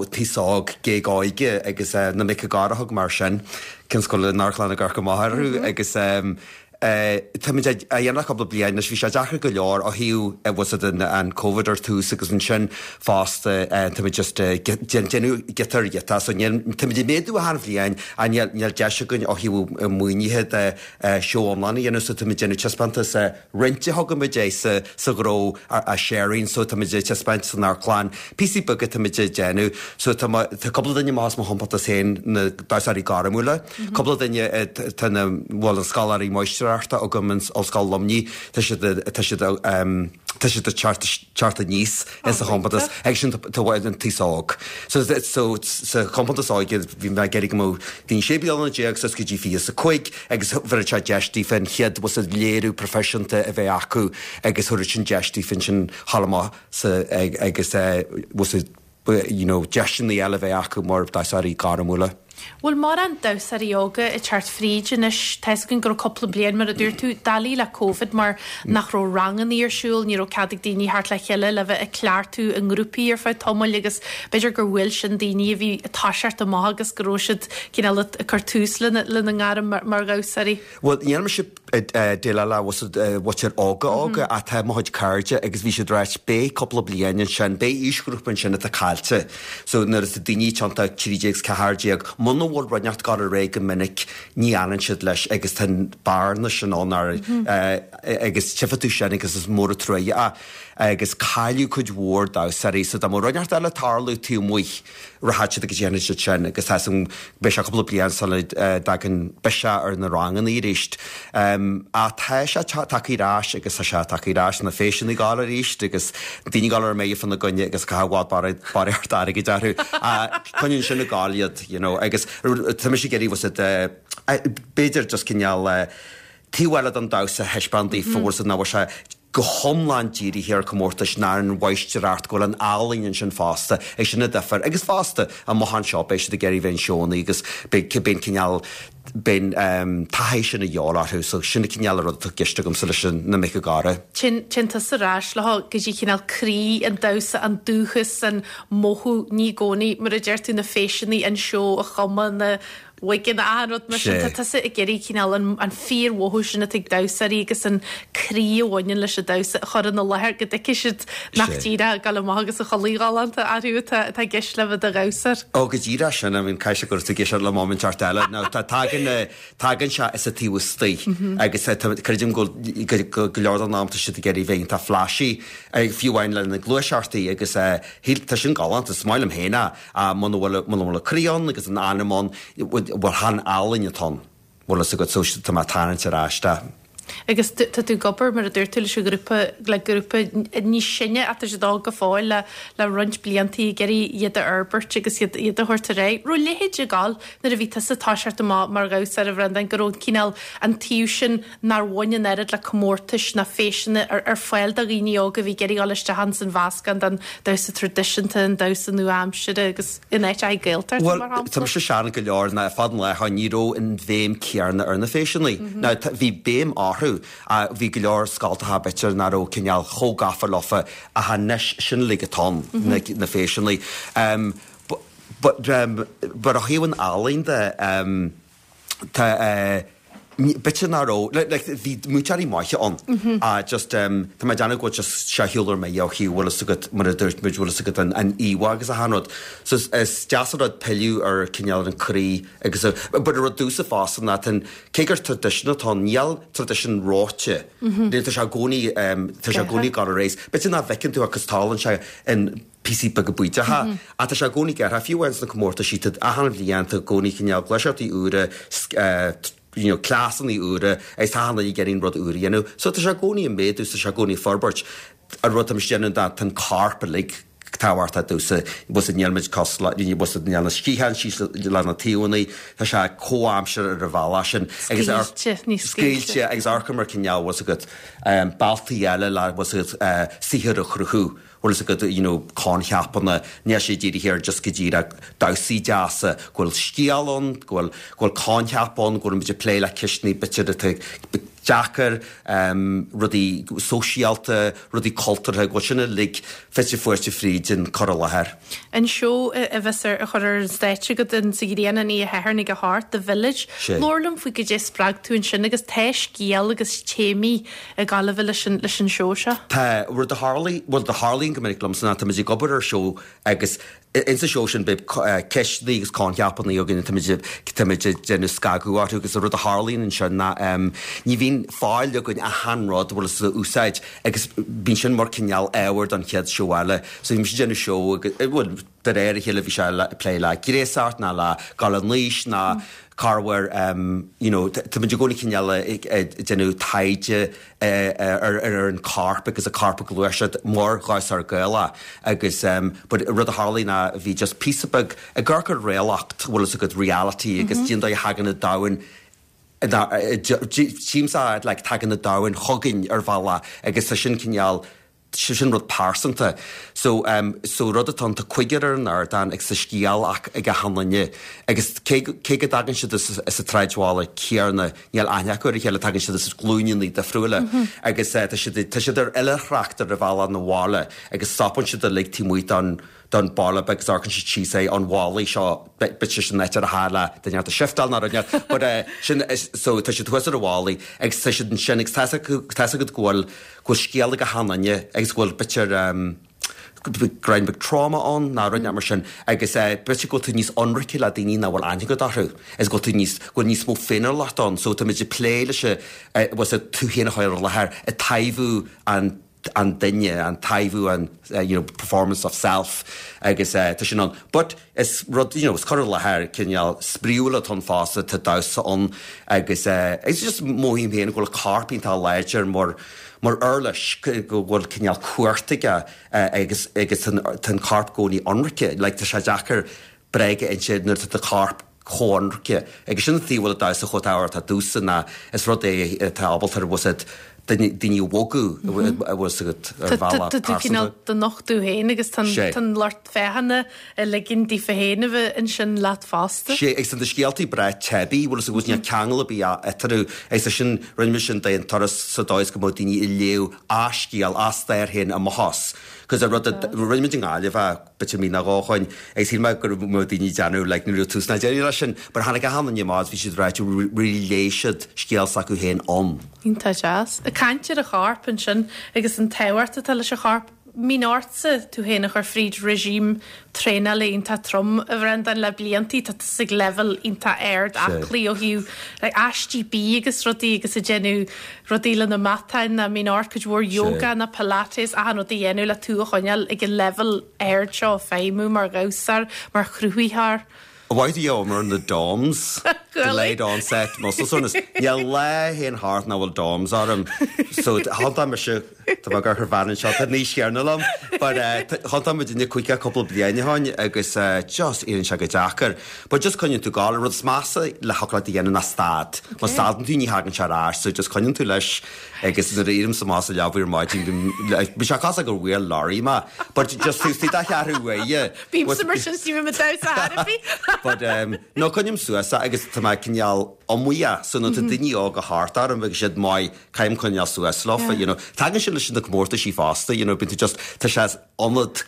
taos óg, gig óige agus na mic a garthug mar sin. Cén scoil in Amharclann ag amharc amach orthu agus Táimid a dhéanamh cúpla bliain anois, bhí sé deacair go leor ó thaobh was it an an Covid ar tús agus ansin fosta táimid just déanamh giota ar ghiota so níl táimid ag méadú achan bhliain ach níl níl deis againn ó thaobh maoinithe de seó iomlán a dhéanamh so táimid déanamh taispeántas roinnte a thugaimid é sa sa ghnó a sharing so táimid ag taispeáint san amharclann píosaí beaga táimid ag déanamh so tá tá cúpla duine amach as mo chompántas féin na damhsóirí gairmiúla cúpla duine tá na bhfuil an scoláirí máistreachta agam in Ollscoil Luimnigh tá siad tá siad tá siad teacht aníos in sa chompántas ag sin tá an t-aos óg. So so sa chompántas óige bhí mé ag iarraidh go mbeadh daoine sé bliana déag suas go dtí fiche is a cúig agus bheadh sé deis daofa an chéad was a léiriú proifisiúnta a bheith acu agus thabharfadh sin deis daofa ansin thall amach sa agus was a you know deiseanna eile a bheith acu mar damhsóirí gairmiúla. Bhfuil mórán damhsóirí óga ag teacht fríd anois tá a fhios againn go raibh cúpla bliain mar a dúirt tú doiligh le Covid mar nach raibh ranganna ar siúl, ní raibh cead ag daoine theacht le chéile le bheith ag cleachtadh i ngrúpaí ar feadh tamaill agus b'fhéidir gur bhuail sin daoine a bhí ag toiseacht amach agus go raibh siad cineál ag cur tús lena lena ngairm mar, mar dhamhsóirí. Well níl mise déileáil le mhuintir óga óga ach tá mo chuid cairde agus bhí siad ag ráit beidh cúpla bliain ansin, beidh aoisghrúpa ansin atá caillte. So nuair atá daoine tionta trí déag is ceathair déag, muna bhfuil rud inteacht ag dul ar aghaidh go minic ní fhanann siad leis agus tá an bearna sin ann ar agus tchífidh tú sin agus is mór an truaighe é agus cailleadh cuid mhór damhsóirí so dá mbeadh rud inteacht eile ag tarlú taobh amuigh rachaidh siad agus déanfaidh siad sin agus tá san beidh sé cúpla bliain sula dtagann biseach ar na ranganna arís. Ach tá sé tagtha ar ais agus tá sé tagtha ar ais na feiseanna ag gabháil arís agus daoine ag gabháil ar mire fána gcoinne agus caithfidh i bhfad barraíocht airgid orthu. Coinníonn sin ag gabháil iad, you know, agus tá mise ag iarraidh was it b'fhéidir just cineál taobh eile den damhsa a thaispeáint daofa bhfuil nach bhfuil sé go hiomlán dírithe ar comórtais ná ar an mháistreacht go bhfuil an ealaín ansin fosta é sin an difear agus fosta amach anseo beidh siad ag iarraidh bheith in seónna agus beidh beidh cineál beidh taithí sin a dhíobháil orthu so sin an cineál rud atá i gceist agamsa leis na mic ag gáire. Téann tusa ar ais leo go dtí cineál croí an damhsa an dúchas an mothú ní i gcónaí mar a deir tú na faiseanna an seó a chumadh na wigeanna achan rud mar sin. Tá tusa ag iarraidh cineál an an fíormhothú sin atá ag damhsóirí agus an croí a bhaineann leis an damhsa a chur ina láthair go dtuigfidh siad nach díreach ag dul amach agus a chulaith ghalánta orthu atá atá i gceist le bheith i do dhamhsóir. Ó go díreach sin, I mean caithfidh sé go raibh tú ag éisteacht le móimint eile. Now tá tagann tagann sé as an taobh istigh agus creidim go go go leor den am tá siad ag iarraidh bheith iontach flashy fiú amháin lena gluaiseachtaí agus tá sin galánta, is maith liom féin é muna bhfuil muna bhfuil an croí ann agus an anam ann bhuel chan ealaín atá ann, bhfuil fhios agat so tá mé ag tarraingt ar ais de. Agus tá tú ag obair, mar a dúirt tú, leis an ghrúpa, le grúpa níos sine ach tá siad óg go fóill le le roinnt blianta ag iarraidh iad a fhorbairt agus iad iad a thabhairt ar aghaidh. Raibh a leithéid ag gabháil nuair a bhí tusa ag toiseacht amach mar dhamhsóir, a Bhreandáin, go raibh cineál an taobh sin nár bhain an oiread le comórtais ná faiseanna ar ar fáil do dhaoine óga a bhí ag iarraidh dul isteach ins an mheascán den damhsa traidisiúnta, an damhsa nua-aimseartha agus in áit Gaeltacht, Bhuel, mar tá shampla. mise sean go leor ná fad an lá ní raibh an bhéim chéanna ar na faiseanna. Now tá bhí béim orthu, bhí go leor scoltacha b'fhéidir nach raibh cineál chomh gafa leofa ach anois sin uilig atá ann, na na faiseanna. Um, but, but, um, but ó thaobh an ealaín de, um, tá eh, b'fhéidir nach raibh, like, like, bhí múinteoirí maithe ann. Ah, just, um, tá mé ag déanamh go bhfuil just sé shiúl ar mire ó thaobh bhfuil fhios agat, mar a dúirt muid, bhfuil fhios agat an, an íomhá agus achan rud. So is, is deas an rud pilleadh ar cineál an croí agus a, but an rud domhsa fosta ná tá an, cé gur traidisiún atá ann, níl traidisiún reoite. Níl, tá sé i gcónaí, um, tá sé i gcónaí ag dul ar aghaidh. B'fhéidir nach bhfeiceann tú agus tarlaíonn sé in píosaí beaga bídeacha, ach tá sé i gcónaí gearrtha, fiú amháin sna comórtaisí, tá achan bhliain, tá i gcónaí cineál gluaiseachtaí úra, eh, you know, cleasanna úra agus tá achan duine ag iarraidh an rud úr a dhéanamh. So tá sé i gcónaí ag méadú, tá sé i gcónaí ag forbairt. An rud tá muid ag déanamh ná tá an corp uilig tábhachtach domhsa, bhfuil níl muid cosúil le, bhfuil níl na sciatháin síos le na taobhanna, tá sé comhaimseartha ar an bhealach sin. Agus ar- Scaoilte, níos scaoilte. Scaoilte agus amharc mar cineál, bhfuil agat, um, bealtaí eile le, bhfuil agat, uh, saothar a chruthú. Bhfuil fhios agat, you know, coincheapanna, níl sé dírithe ar just go díreach damhsaí deasa, go bhfuil scéal ann, go bhfuil, go bhfuil coincheap ann, go bhfuil muid ag plé le ceisteanna b'fhéidir atá deacair, rudaí sóisialta, rudaí cultúrtha, go bhfuil sin uilig fite fuaite fríd an cur i láthair. An seó a bheas ar a chur ar an stáitse agat in sa Ghrianán an oíche Shathairn ag a hocht, The Village. Labhair liom faoi goidé spreag tú ansin agus tá scéal agus téamaí ag gabháil leis an leis an seó seo. Tá, rud a tharlaigh, bhuel, a tharlaíonn go minic liomsa ná táimid ag obair ar seó agus Insa seó sin beidh ceisteanna agus coincheapanna againn táimid ag déanamh scagadh orthu agus an rud a tharlaíonn ansin ná ní bhíonn fáil againn achan rud a bhfuil a úsáid agus bíonn sin mar cineál ábhar don chéad seó eile. So bhí mise ag déanamh seó agus bhuel de réir a chéile bhí sé le plé le gréasacht ná le gabháil in aois ná corruair you know táimid i gcónaí cineál ag déanamh taighde ar ar an corp agus an corp ag gluaiseacht mar dhamhsóir Gaelach agus but rud a tharlaigh ná bhí just píosa beag ag amharc ar réalacht bhfuil fhios agat reality agus cén dóigh a thagann an domhan tchímse like tagann an domhan chugainn ar bhealach agus tá sin cineál sé sin rud pearsanta. So um, so rud atá ann tá cúigear ar an ardán agus tá scéal ach ag achan duine agus cé cé go dtagann siad as as an tsráidbhaile céanna níl aithne acu ar a chéile tagann siad as glúineanna difriúla mm -hmm. agus uh, tá siad tá siad ar oilithreacht ar a bhealach na bhaile agus stopann siad uilig taobh amuigh don don baile beag agus amharcann siad síos é an bhallaí seo bit sin áit ar a tharla duine a shiftáil ná rud but uh, sin so tá siad thuas ar a bhallaí agus tá siad ansin agus tá tá agat go bhfuil go bhfuil scéal ag achan duine agus go bhfuil b'fhéidir um, greim beag trauma ann ná rud mar sin agus uh, b'fhéidir go bhfuil tú níos ionraice le daoine nach bhfuil aithne agat orthu is go bhfuil tú níos go bhfuil níos mó féiniúlacht ann so táimid ag plé leis uh, was tú féin a chur ar láthair ag taibhiú an an duine an taibhiú an uh, you know, performance of self agus uh, tá sin ann. But is rud you know, is cur i láthair cineál spraíúil atá ann fosta tá damhsa ann agus uh, it's just mothaím féin go bhfuil corp iontach láidir mar mar uirlis go bhfuil cineál cumhacht aige uh, agus agus tá an corp i gcónaí ionraic, like, tá sé deacair bréag a inse nuair tá corp chomh hionraic agus sin an bhfuil damhsa chomh tábhachtach domhsa ná is rud é atá ábalta bhfuil daoine a bhogadh a bhfuil agat ar bhealach Tá tú cineál do nochtadh féin agus tá an lucht féachana ag ligean daofa féin a bheith ansin leat fosta. Sé agus na scéaltaí breá teibí bhfuil fhios agat níl ceangal ar bith eatarthu agus sin rinne sin d'aon turas sa dóigh is go mbeadh daoine ag léamh a scéal a stair féin amach as. Cos a rud rinne muid i nGaillimh b'fhéidir mí nó dhó ó shin agus shíl mé go mbeadh daoine déanamh like ní raibh tús ná deireadh leis sin, but tháinig achan duine amach bhí siad ráite really léigh siad scéal s'acu féin ann. Iontach deas. Ag caint ar an chorp ansin agus an tábhacht atá leis an chorp mbíonn ortsa tú féin a chur fríd regime traenála iontach trom a Bhreandáin le bliantaí tá tú ag level iontach ard aclaí ó thaobh like, aistí bídh agus rudaí agus ag déanamh rudaí le na matáin na mbíonn ort cuid mhór yoga na pilates achan rud a dhéanamh le tú a choinneáil ag an level ard seo feidhmiú mar dhamhsóir mar chruthaitheoir. Why do you mar na DOMS? Delayed onset muscle soreness. Níl lá a théann thart nach bhfuil DOMS orm. So thiontaigh mise tá mé gur bhean seo tá níos céarna liom, but thiontaigh muid duine chuige cúpla bliain ó shin agus uh, just éiríonn sé go deacair. But just coinníonn tú ag gabháil rud is measa le haclaíocht a dhéanamh ná stad. Má stadann tú ní thagann sé ar ais, so just coinníonn tú leis agus nuair a éirím amach as an leaba ar maidin bhí sé cosúil gur bhuail lorry mé, but just tú tí cheathrú uaidh. Bímse mar sin sí me damhsa But um, no coinním suas agus tá mé cineál iomaíoch so nuair tá daoine óga thart orm agus siad maith caithim coinneáil suas leofa, you know. Tagann sin leis na comórtaisí fosta, you know, bíonn tú just tá sé ionad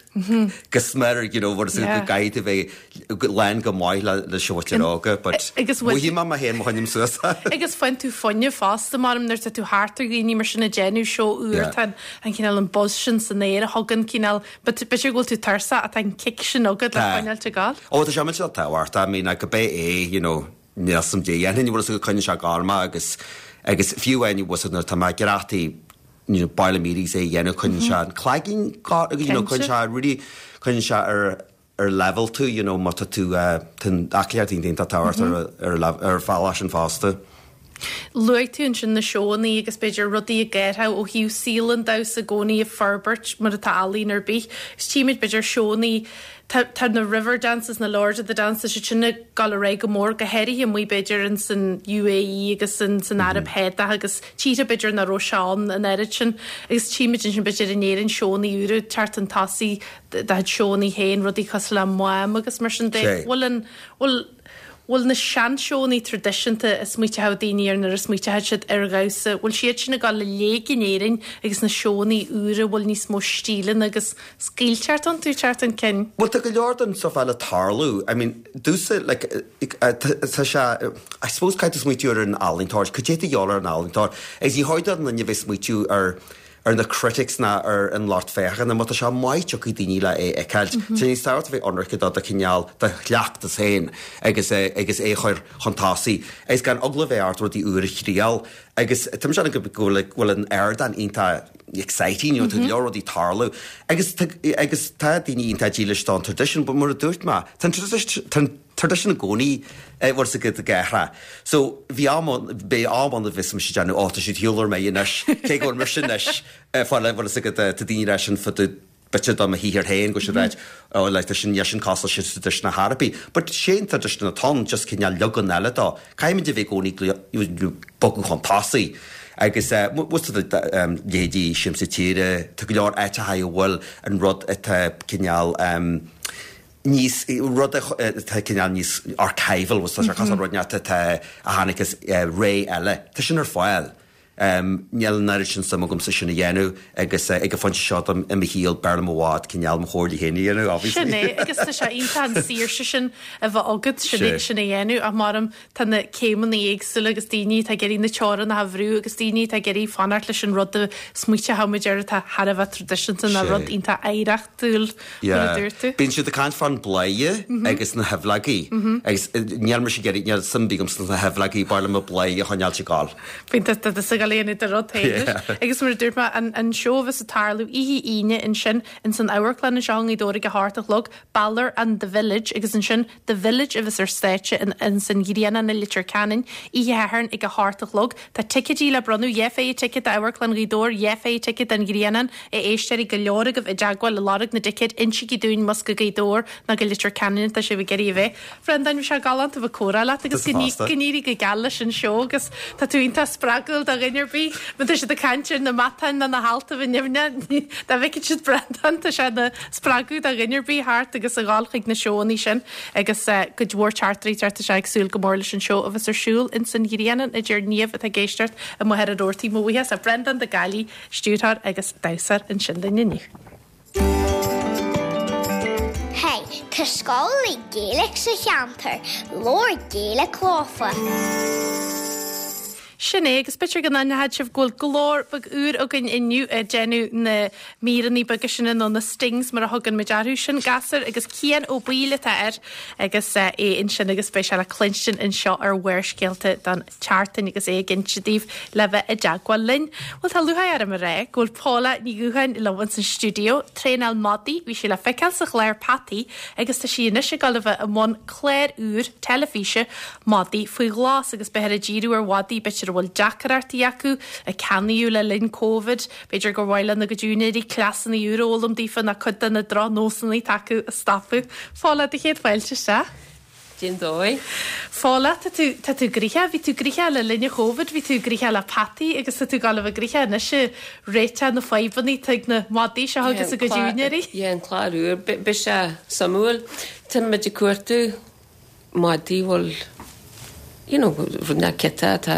go smior, you know, bhfuil go gcaithfidh tú bheith lán go maith le le seotir óga, but Agus bhfuil- mothaím mé féin má choinním suas. Agus faigheann tú fuinneamh fosta mar nuair tá tú thart ar dhaoine mar sin ag déanamh seó úr Yeah. tá an cineál an buzz sin san aer a thugann cineál b'fhéidir go bhfuil tú tuirseach ach tá an kick sin agat le Tá. coinneáil ag gabháil. Ó tá sé sé tábhachtach, I mean, go bé é, you know, níl sam dé dhéanfainn bhfuil go coinníonn sé ag gabháil mé agus agus fiú amháin was nuair tá mé greataí you know, baile meetings é dhéanamh coinníonn sé an cloigeann you know, coinníonn sé really coinníonn sé ar ar level tú, you know, má tá tú uh, aclaíocht iontach tábhachtach ar ar ar bhealach sin fosta. Luaigh tú ansin na seónna agus b'fhéidir rudaí a gceirthe ó thaobh saol an damhsa i gcónaí ag forbairt mar atá ealaín ar bith. Is tímid b'fhéidir seónna tá tá na river dances na Lords of the Dances sé sinna gal ré go mór go háirithe amuigh b'fhéidir in san UAE agus san san Araib Shádach agus tíortha b'fhéidir nach raibh sé ann an oiread sin agus tímid sin b'fhéidir in Éirinn seónna úra teacht chun tosaigh de seónna féin rudaí cosúil le Mám agus mar sin de Sé. bhfuil an bhfuil Bhfuil na seanseónna traidisiúnta a smaoiteodh daoine ar nuair a smaoiteodh siad ar dhamhsa, bhfuil siad sin ag dul i léig in Éirinn agus na seónna úra, bhfuil níos mó stíleanna agus scaoilteacht iontu teacht chun cinn? Bhuel tá go leor den stuff eile tarlú. I mean, domhsa like, tá sé, I suppose caithfidh tú smaoitiú ar an ealaíontóir, cad é tá de dhíobháil ar an ealaíontóir, agus ní chóir don duine bheith smaoitiú ar ar na critics ná ar an lucht féachana, má tá sé maith tiocfaidh daoine le é a fheiceáilt. Tá níos tábhachtaí a bheith ionraice do do chineál do chleachtas féin agus agus é a chur chun tosaigh agus gan eagla a bheith ort rudaí úr a thriail agus tá mise go bhfuil bhfuil an ardán iontach exciting, you know, tá go leor rudaí tarlú agus agus tá daoine iontach dílis don tradition, but mar a dúirt mé, tá an tradition i gcónaí bhfuil a fhios agat ag athrú. So bhí am beidh am ann a bheas mise ag déanamh, ó tá siad shiúl ar mé anois, cé go bhfuil mise anois fáil bhfuil a fhios agat tá daoine leis an fud b'fhéidir do mo shaothar féin go siad ráit oh like tá sin sin cosúil sin tradition na harapí. But sé an tradition atá ann just cineál leagan eile dó. Caithfimid a bheith i gcónaí bogadh chun tosaigh. Agus bhfuil leithéidí Siamsa Tíre, tá go leor áiteacha a bhfuil an rud atá cineál níos rud atá cineál níos archival was tá sé cosúil rud atá a tháinig as ré eile. Tá sin ar fáil. Níl an oiread sin suim agamsa sin a dhéanamh agus ag an phointe seo dom i mo shaol b'fhearr liom i bhfad cineál mo chomhairle féin a dhéanamh, obviously. Sin é, agus tá sé iontach an saoirse sin a bheith agat sin é sin a dhéanamh ach maram tá na céimeanna éagsúla agus daoine atá ag iarraidh na teorainneacha a bhrú agus daoine atá ag iarraidh fanacht leis an rud a smaoiteochaimid air atá thar a bheith traidisiúnta ná rud iontach oidhreachtúil mar a dúirt tú. Bíonn siad ag caint fán bladhaire agus na haibhleogaí agus níl mise ag iarraidh níl suim ar bith agamsa sna haibhleogaí b'fhearr liom na bladhaire a choinneáil ag gabháil. Bíonn tá tá tá léana de rud féin agus mar a dúirt mé an an seó bheas ag tarlú oíche Aoine ansin in san amharclann anseo i nGaoth Dobhair ag a hocht a chlog Balor and the Village agus ansin The Village a bheas ar stáitse in in san Ghrianán i Leitir Ceanainn oíche Shathairn ag a hocht a chlog Tá ticéidí le bronnadh dhá phéire ticéad d'Amharclann Ghaoth Dobhair dhá phéire ticéad don Ghrianán a éisteoirí go leor agaibh i dteagmháil ag lorg na dticéad insígí dúinn más go Gaoth Dobhair ná go Leitir Ceanainn atá sibh ag iarraidh a bheith. Bhreandáin bhí sé galánta bheith ag comhrá leat agus go n-éirí go geal leis an seó agus tá tú iontach spreagúil do dhuine ar bith, má tá siad ag caint ar na matáin nó na halta bhí nimhne dá bhfeicfidh siad Breandán tá sé ina spreagadh do dhuine ar bith thart agus a ghabháil chuig na seóanna sin agus cuid mhór teachtairí tá sé ag súil go mór leis an seó a bheas ar siúl in san Ghrianán a deir Niamh atá ag éisteacht i Machaire Rabhartaigh mo bhuíochas a Bhreandán de Gaillí, stiúrthóir agus damhsóir ansin linn inniu. Hey, tá scoil Gaeilge sa cheantar, labhair Gaeilge leofa. Sin é agus b'fhéidir go n-aithneoidh sibh go bhfuil glór beag úr againn inniu ag déanamh na míreanna beaga sin nó na stings mar a thugann muid orthu sin gasúr agus Cian Ó Baoill atá air agus é ansin agus beidh sé le cluinstin anseo ar Bharrscéalta don tseachtain agus é ag inse daoibh le bheith i dteagmháil linn. Bhuel tá lúcháir orm a rá go bhfuil Paula Ní Dhúcháin liom san stiúideo, traenáil madaí, bhí sí le feiceáil sa chlár Peataí agus tá sí anois ag dul a bheith i mbun clár úr teilifíse Madaí faoi Ghlas agus beifear ag díriú ar mhadaí b'fhéidir a bhfuil deacrachtaí acu a ceannaíodh le linn Covid, b'fhéidir gur mhaith lena gcuid úinéirí cleasanna úra a fhoghlaim daofa ná cuid de na drochnósanna atá acu a stopadh. Paula, do chéad fáilte isteach. Cén dóigh? Paula, tá tú tá tú gnoitheach, bhí tú gnoitheach le linn Covid, bhí tú gnoitheach le peataí agus tá tú ag dul a bheith gnoitheach anois ag réiteach na fadhbanna atá ag na madaí seo agus a gcuid úinéirí. Yeah, an clár úr, beidh sé suimiúil. Tá muid ag cuartú madaí bhfuil you know, rud nach ciota tá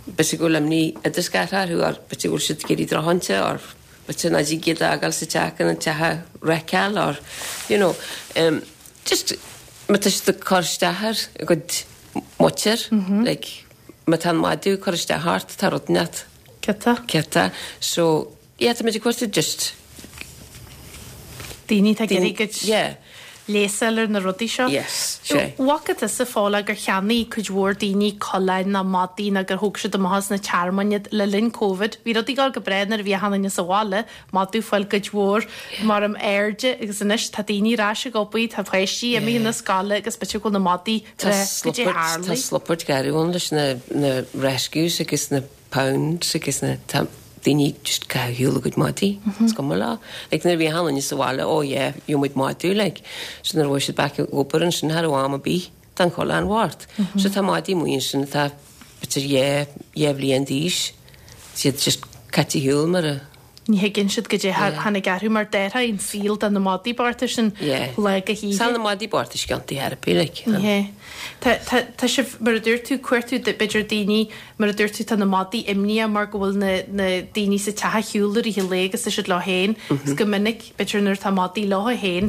b'fhéidir go bhfuil imní idirscartha orthu or b'fhéidir go bhfuil siad ag iarraidh drochshláinte or b'fhéidir nach dtig iad a fhágáil sa teach an teach a wreckáil or you know, um, just má tá siad ag cur isteach ar a gcuid muintir, like, má tá an madadh ag cur isteach ort tá rud inteacht Ciota. ciota. So, yeah, tá muid ag cuartú just Daoine atá ag iarraidh a gcuid yeah. leigheas a fháil ar na rudaí seo. Yes, sé. Bhfaca tusa Paula gur cheannaigh cuid mhór daoine coileáin ná madaí ná gur thóg siad amach as na tearmainn iad le linn Covid. Bhí rudaí ag dul go breá nuair a bhí achan duine sa bhaile, madadh fáil cuid mhór mar am airde agus anois tá daoine ar ais ag obair, tá páistí imithe na scoile agus b'fhéidir go bhfuil na madaí Tá go dtí sluppert, tá tharlaigh. sluppert garbh ann leis na, na rescues agus na pounds agus na tá daoine just ag caitheamh ar shiúl a gcuid madaí. Is cuma leo. Like nuair a bhí achan duine sa bhaile, oh yeah, gheobhaidh muid madadh, like. So nuair a bhí siad back ag obair ansin thar am ar bith, tá an coileán bhart. So tá madaí amuigh ansin atá b'fhéidir dhá dhá bhliain d'aois. Siad just caite ar shiúl mar a Ní thuigeann siad goidé tháinig orthu mar déarfá an saol do na madaí bochta sin lá go hoíche. Saol na madaí bochta sciontaí therapy like. Yeah. Tá tá tá sibh mar a dúirt tú cuartú b'fhéidir daoine mar a dúirt tú tá na madaí imníoch mar go bhfuil na na daoine sa teach ar shiúl i rith an lae agus tá siad leo féin agus go minic b'fhéidir nuair atá madaí leo féin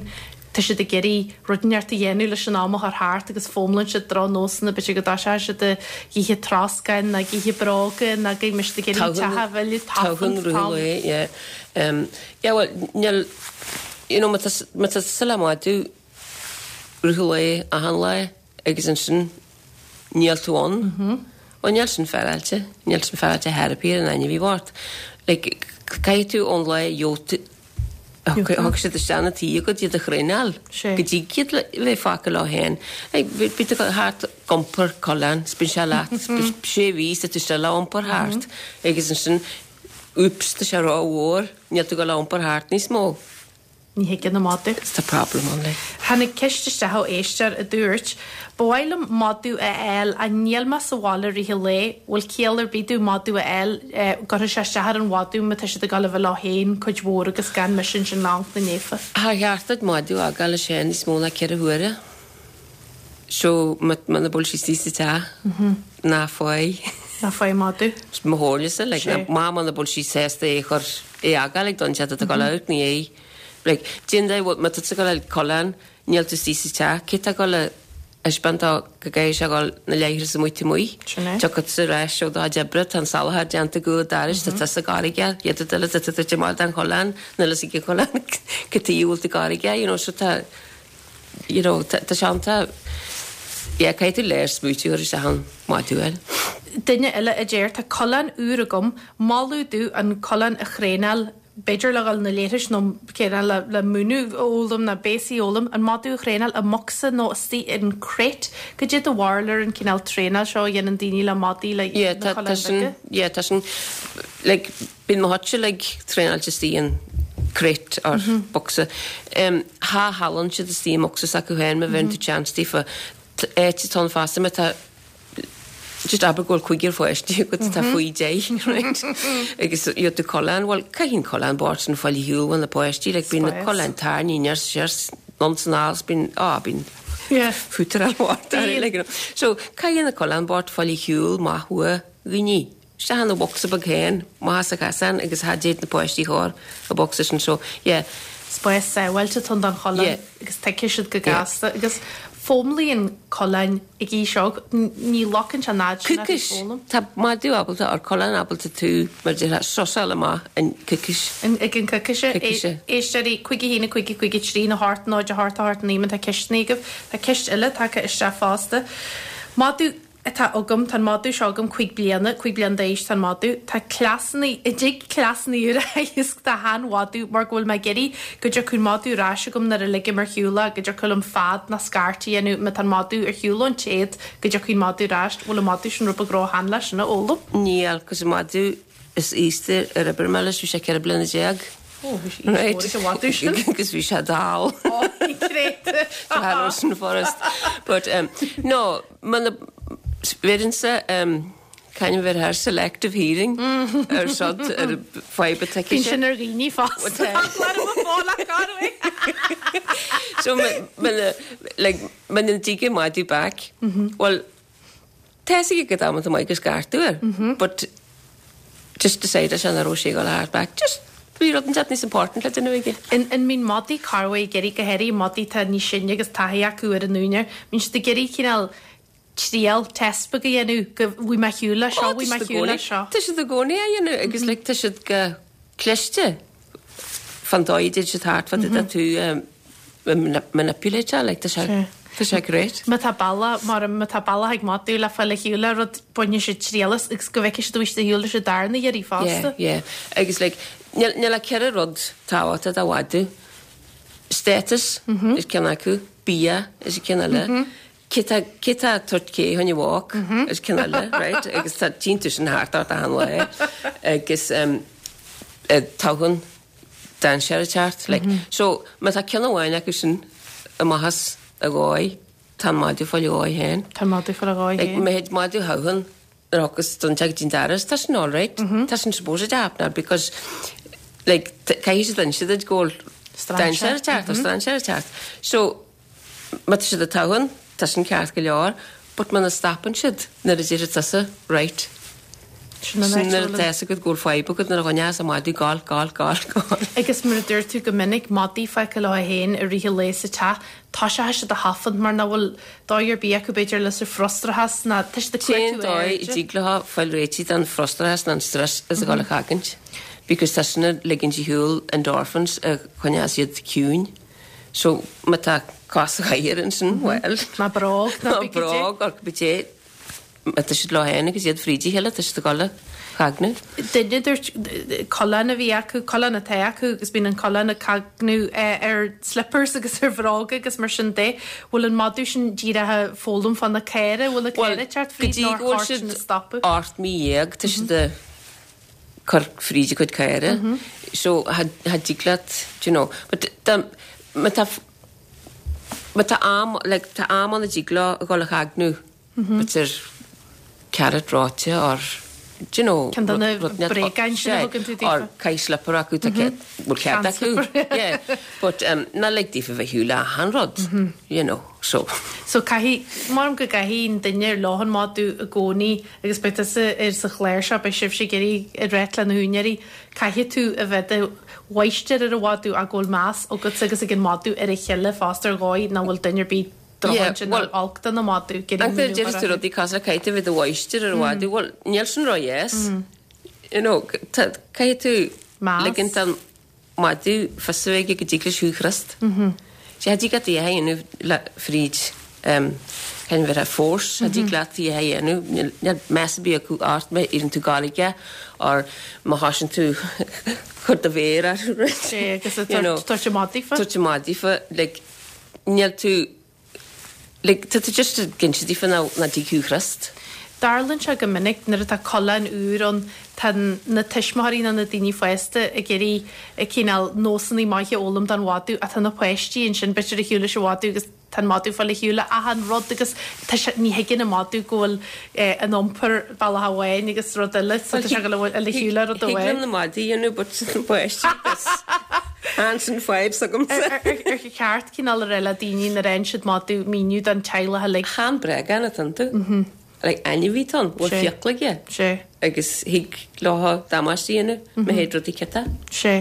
tá siad ag iarraidh rud inteacht a dhéanamh leis an am a chur thart agus foghlaimíonn siad drochnósanna, b'fhéidir go dtoiseoidh siad ag ithe troscáin nó ag ithe bróga nó go mbeidh siad ag iarraidh an teach a mhilleadh, tafann, tafann. Yeah. Um, yeah, well, níl, you know, má tá má tá tusa le madadh rith an lae achan lá agus ansin níl tú ann, bhuel níl sin féaráilte, níl sin féaráilte therapy ar an ainmhí bhocht. Like, caithfidh tú ón lá a gheobhaidh tú Thug siad isteach 'na tí agat iad a thraenáil go dtig iad bheith fágtha leo féin. Bíonn tú thart ag iompar coileán, 's bíonn sé leat sé mhí 's tá tú still á iompar thart agus ansin oops tá sé rómhór, níl tú ag dul á iompar thart níos mó. Ní thuigeann an madadh. Tá problem ann like. Tháinig ceist isteach ó éisteoir a dúirt, Ba mhaith liom madadh a fháil ach níl mé sa bhaile rith an lae, bhfuil ciall ar bith domh madadh a fháil, gcuirfidh sé isteach ar an mhadadh má tá siad ag dul a bheith leo féin cuid mhór agus gan mise ansin le hamharc na naofa. Char cheart duit madadh a fhágáil leis féin níos mó ná ceithre huaire. So muna bhfuil sí istigh sa teach, ná faigh. Ná faigh madadh. Mo chomhairlese, like, má muna bhfuil sí sásta é a chur, é a fhágáil ag don teach atá ag dul amharc ina dhiaidh. Like, déan de, má tá tú ag dul a fháil coileán, níl tú istigh sa teach, cé tá ag dul a thaispeáint dó go gcaithfidh sé a dhul na leithreas amuigh taobh amuigh? Sin é. Tiocfaidh tusa ar ais ó do chuid oibre, tá an salachar déanta ag an doras, tá tusa gairge, iad ag dul, tá tú ag amach den choileán, níl fhios ag an choileán cad tuige a bhfuil tú gairge, you know, so tá, you know, tá sé iontach, yeah, caithfidh tú léir smaoitiú ar isteach an madadh a fháil. Duine eile a deir, tá coileán úr agam, moladh domh an coileán a thraenáil, b'fhéidir le dhul na leithris nó céanna le le múineadh a fhoghlaim nó béasaí a fhoghlaim, an madadh a thraenáil i mbocsa nó istigh in crate. Goidé do bharúil ar an cineál traenáil seo a dhéanann daoine le madaí le Yeah, na tá tá coileáin sin, bheaga? yeah, tá sin, like, bíonn mo chuidse like traenáilte istigh in crate or bocsa. Um, cha chodlann siad istigh i mbocsa s'acu féin má bheireann tú chance daofa. Áit atá ann fosta má tá just abair go bhfuil cúigear pháistí agat atá faoi deich, right? Agus gheobhaidh tú coileán, bhuel, caithfidh an coileán bocht sin fáil ar shiúl ó na páistí, like bíonn na Spás. coileáin tarraingthe aniar siar anonn is anall, bíonn, á, bíonn Yeah. fútar ar bord, Bíonn. like, you know. So, caithfidh na coileán bocht fáil ar shiúl maith uaidh dhaoine. Isteach ina bhocsa beag féin, amach as an chasán agus cha dtéid na páistí thar an bocsa sin, so, yeah. Spás sábháilte atá ann don choileán Yeah. agus tuigfidh siad go Yeah. gasta agus foghlaimíonn coileáin ag aois óg, ní locann sé an fhad sin orthu Coicís. foghlaim. Tá madadh ábalta or coileán ábalta tú mar déarfá susáil amach in coicís. In, ag an coicíse. Coicíse. Éisteoirí cúig a haon a cúig a cúig a trí a hocht náid a hocht a hocht naoi má tá ceisteanna agaibh. Tá ceist eile tagtha isteach fosta. Madadh atá agam, tá an madadh seo agam cúig bliana, cúig bliana d'aois tá an madadh. Tá cleasanna, i dtig cleasanna úra a theagasc do shean-mhadadh mar go bhfuil mé ag iarraidh go dtiocfaidh an madadh ar ais agam nuair a ligim ar shiúl é, go dtiocfadh liom fead nó scairt a dhéanamh má tá an madadh ar shiúl ón téad, go dtiocfaidh an madadh ar ais. Bhfuil an madadh sin rud beag róshean leis sin a fhoghlaim? Níl, cos an madadh is aosta ar oibir mé leis, bhí sé ceithre bliana déag. Ó, bhí sé aois mhór ag an mhadadh sin. Agus bhí sé dall. Ó, bhí créata. Tá sin furast. But um, no, man bheireann-sa um, kind of ar selective hearing ar sod ar fadhb atá Bíonn sin ar dhaoine fosta. So like muna dtig an madadh back. Well, tá a fhios aige go am maith gus scairteadh air. But just decide sin a raibh sé go hard back. Just bhí rud inteacht níos important le duine aige. An an mbíonn madaí corruair ag iarraidh go háirithe madaí atá níos sine agus taithí acu ar an úinéir. Bíonn siad ag iarraidh cineál triail test beag a dhéanamh go bhfuil mé ar shiúl leis seo, bhfuil mé ar shiúl leis seo. Tá siad i gcónaí á dhéanamh agus like, tá siad go cliste fan dóigh did siad thart fad mm tú manipulate like, tá sé tá sé great. Má tá bealach mar má tá bealach ag madadh le fáil ar shiúl le rud baineann siad triail as agus go bhfeicfidh siad bhfuil siad ar shiúl leis an darna iarraidh fosta. Yeah, yeah. Agus like, níl níl ach ceithre rud tábhachtach do mhadadh. Status is ceann acu, bia is ceann eile. Cé tá tabhairt cé chun walk is ceann eile, right? Agus tá tínta sin thart ort achan lá. Agus um, toghann dainséar ag teacht. Like, so má tá ceann amháin acu sin amach as a dhóigh, tá an madadh fáil a dhóigh féin. Tá madadh fáil a dhóigh Like, féin. má théid madadh toghann agus don teag din daras, tá sin all right. Tá sin supposed to happen now because Like, caithfidh siad inse duit go bhfuil dainséar ag teacht, tá strainséir ag teacht. So, má tá siad ag tafann, tá sin ceart go leor, but muna stopann siad nuair a deir tusa, right. Sin an áit Sin nuair a bhfuil atá fhios agat go bhfuil fadhb agat nuair a choinneos an madadh gol, gol, gol, gol. Agus mar a dúirt tú go minic, madaí fágtha leo féin i rith an lae sa teach, tá sé siad ag tafann mar nach bhfuil dóigh ar bith acu b'fhéidir leis an frustrachas ná tá siad ag Cén cuartú dóigh a airde. dtig leo fáil réitithe den frustrachas ná an stress is a dhul a chogaint. Because tá sin ag ligint ar shiúl endorphins a choinneos iad ciúin. So má tá cos sa chathaoir ansin, well. Ná bróg, ná Ná bí go dtí. bróg, or cibé. Má tá siad leo féin agus iad fríd a chéile, tá siad ag dul a chagnadh. Duine dúirt coileán a bhí acu, coileán atá acu agus bíonn an coileán ag cagnú ar slippers agus ar bhróga agus mar sin de. Bhfuil an madadh sin díreach ag foghlaim fá na caora, bhfuil na Well, caora teacht go fríd dtí nár go bhfuil cheart sin siad a stopadh? ocht mí dhéag, tá siad ag cur fríd a gcuid caora. So cha cha dtig leat, do you know, but tá má tá má tá am, like, tá am ann a dtig leo a dhul a chagnú, b'fhéidir carrot reoite or do you know, Ceann de na rud net- bréagáin sin a Sé, thugann tú daofa. Or caith slipper acu tá cead bhfuil cead acu. Sean-slipper. Yeah, but um, ná lig daofa bheith shiúl achan rud, you know, so. So caithfidh mar go gcaithfidh an duine ar leis an madadh i gcónaí agus beidh tusa ar sa chlár seo beidh sibhse ag iarraidh ag ráit le na húinéirí caithfidh tú a bheith de mháistir ar an mhadadh ach go bhfuil meas agat agus ag an madadh ar a chéile fosta ar dhóigh nach bhfuil duine ar bith Yeah, drochintinn well, olc den madadh An deir tú rudaí cosúil le caithfidh tú bheith de mháistir ar an mhadadh, well, níl sin ró-dheas. You know, tá- caithfidh tú Meas. ligint an madadh fios a bheith aige go dtig leis thú a scrios. Sé cha dtig leat é a dhéanamh le fríd um, cén bheith force, cha dtig leat é a dhéanamh, níl níl meas ar bith acu ort má iarrann tú gabháil aige or má thosaíonn tú chur do mhéar air. Sé agus You know, tabhairt amach daofa. Tabhairt amach daofa, like, níl tú like, tá tú just ag inse daofa ná ná dtig thú a scrios. Tarlaíonn sé go minic nuair atá coileán úr ann tá na tuismitheoirí nó na daoine fásta ag iarraidh ag cineál nósanna maithe a fhoghlaim don mhadadh ach tá na páistí ansin b'fhéidir ar shiúl leis an mhadadh agus tá an madadh fáil ar shiúl le achan rud agus tá sé- ní thuigeann an madadh go bhfuil eh, an iompar bealach amháin agus rud eile so tá sé go bhfuil ar shiúl le rud Thig liom amháin. na madaí a dhéanamh, but na páistí Ansin fadhb s'agamsa. Ar ar- ar cheart cineál a rá le daoine nuair a fhaigheann siad madadh míniú don teaghlach uilig. Chan bréagán atá iontu. Like, ainmhí atá ann, bhfuil Sé. fiacla aige. Sé. Agus thig leo damáiste a dhéanamh, má théid rudaí ciotach. Sé.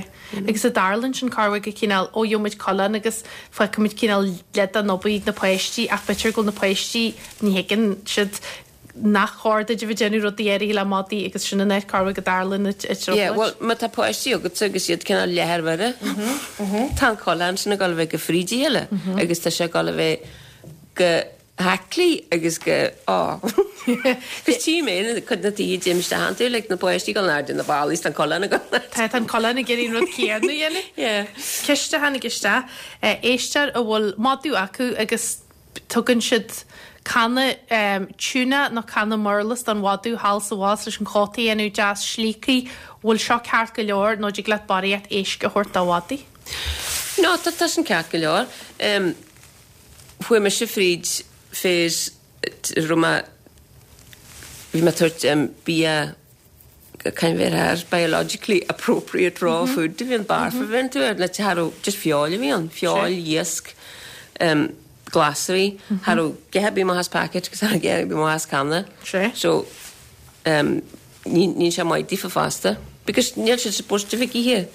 Agus an dtarlaíonn sin corruair go cineál ó gheobhaimid coileán agus feicimid cineál leid an obair na páistí ach b'fhéidir go bhfuil na páistí ní thuigeann siad nach chóir duit a bheith déanamh rudaí áirithe le madaí agus sin an áit corruair go dtarlaíonn i Yeah, well, má tá páistí agat agus iad cineál leath ar mire, tá an coileán sin ag dul a bheith go fríd a chéile agus tá sé ag dul a bheith go haclaí agus go á. Cos tí mé chud na tí dim tú le na páistí go airde na ballaí an coileán go. Tá an coileán ag iarraidh an rud céanna a dhéanamh. Yeah. Ceist a tháinig isteach éisteoir a bhfuil madadh acu agus tugann siad canna um, tuna nó canna murlas don mhadadh thall is abhus leis an chóta a dhéanamh deas slíoctha bhfuil seo ceart go leor nó dtig leat barraíocht éisc a thabhairt do mhadaí. No, tá tá sin ceart go leor. Um, Chuaigh mise fríd phase raibh mé bhí mé tabhairt um, bia cén bheith air biologically appropriate raw food a bhí an barf a bhíonn tú ar le cha raibh just feoil a bhí ann, feoil, iasc, um, glasraí, cha raibh a dhath ar bith amach as packet agus cha raibh a dhath ar bith amach as canna. Sé. So um, ní ní sé maith daofa fosta, because níl siad supposed to bheith ag ithe.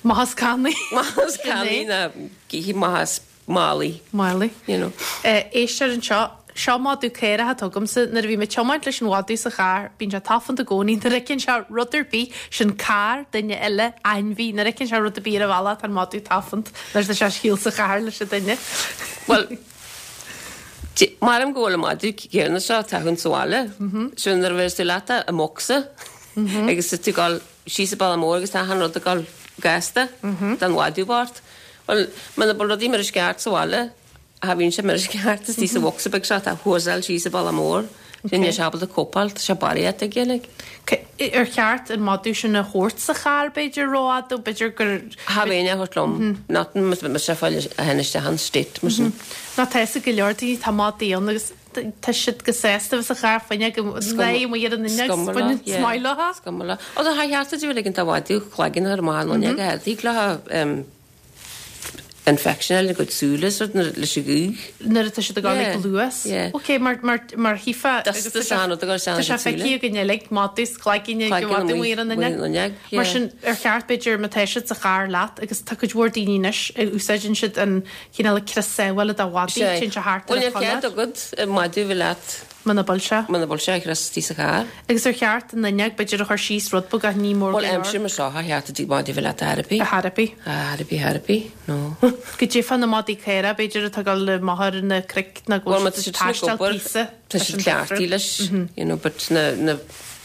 Amach as cannaí. Amach as cannaí ná ag ithe amach as málaí. Málaí. You know. Éisteoir anseo seo madadh caorach atá agamsa nuair a bhí mé ag tiomáint leis an mhadadh sa charr, bíonn sé tafann i gcónaí nuair a fheiceann sé rud ar bith sin carr duine eile ainmhí nuair a fheiceann sé rud ar bith ar an bhealach tá an madadh tafann nuair atá sé thall sa charr leis an duine. Well, Maram go bhfuil an madadh céanna seo ag tafann sa bhaile. So nuair a bheas tú leat i mbocsa agus tú ag dul síos an bealach mór agus tá an rud ag dul gasta don mhadadh bocht. Well, muna bhfuil rudaí mar is ceart sa bhaile, cha bhíonn sé mar is ceart is tí sa bhocsa beag seo tá thuasáil síos an bealach mór. Sin níl sé ábalta cóipeáil, tá sé barraíocht aige like. Ar cheart an madadh sin a thabhairt sa charr b'fhéidir rófhada, b'fhéidir gur Cha bheinn á thabhairt liom, not má sé fáil a théann isteach an state mar sin. Ná tá go leor daoine tá madaí ann agus tá siad go sásta sa charr fuinneog go léi amuigh ar an fhuinneog baineann smile leo. Is cuma leo. Ó tá cheart duit ag an mhadadh cloigeann ar amach an fhuinneog a thig leo infection eile go súile leis an ghaoth. Nuair atá siad ag dul ag luas. Ok, mar mar mar chífeá agus tá sé tá sé feicthe againn uilig madadh is cloigeann ag madadh amuigh ar an fhuinneog. Mar sin ar cheart b'fhéidir má tá siad sa charr leat agus tá cuid mhór daoine anois a úsáideann siad an cineál crios sábhála do mhadaí, téann sé thart ar Bhuel an níor cheart chollar. agat madadh a bheith leat. Muna bhfuil sé. Muna bhfuil sé crios istigh sa charr. Agus ar cheart an fhuinneog b'fhéidir a chur síos rud beag ach ní mór go Bhuel leor. aimsir mar seo cha cheart duit madadh a bheith leat ar bith. Ar bith. Ar bith ar bith, no. Go dté na madaí caora b'fhéidir atá ag dul amach ar na cnoic ná go Bhuel má bhfuil tá siad siad sin ag taisteal obair píosa tá leis siad an cleachtaí difriúil. leis, you know, but na na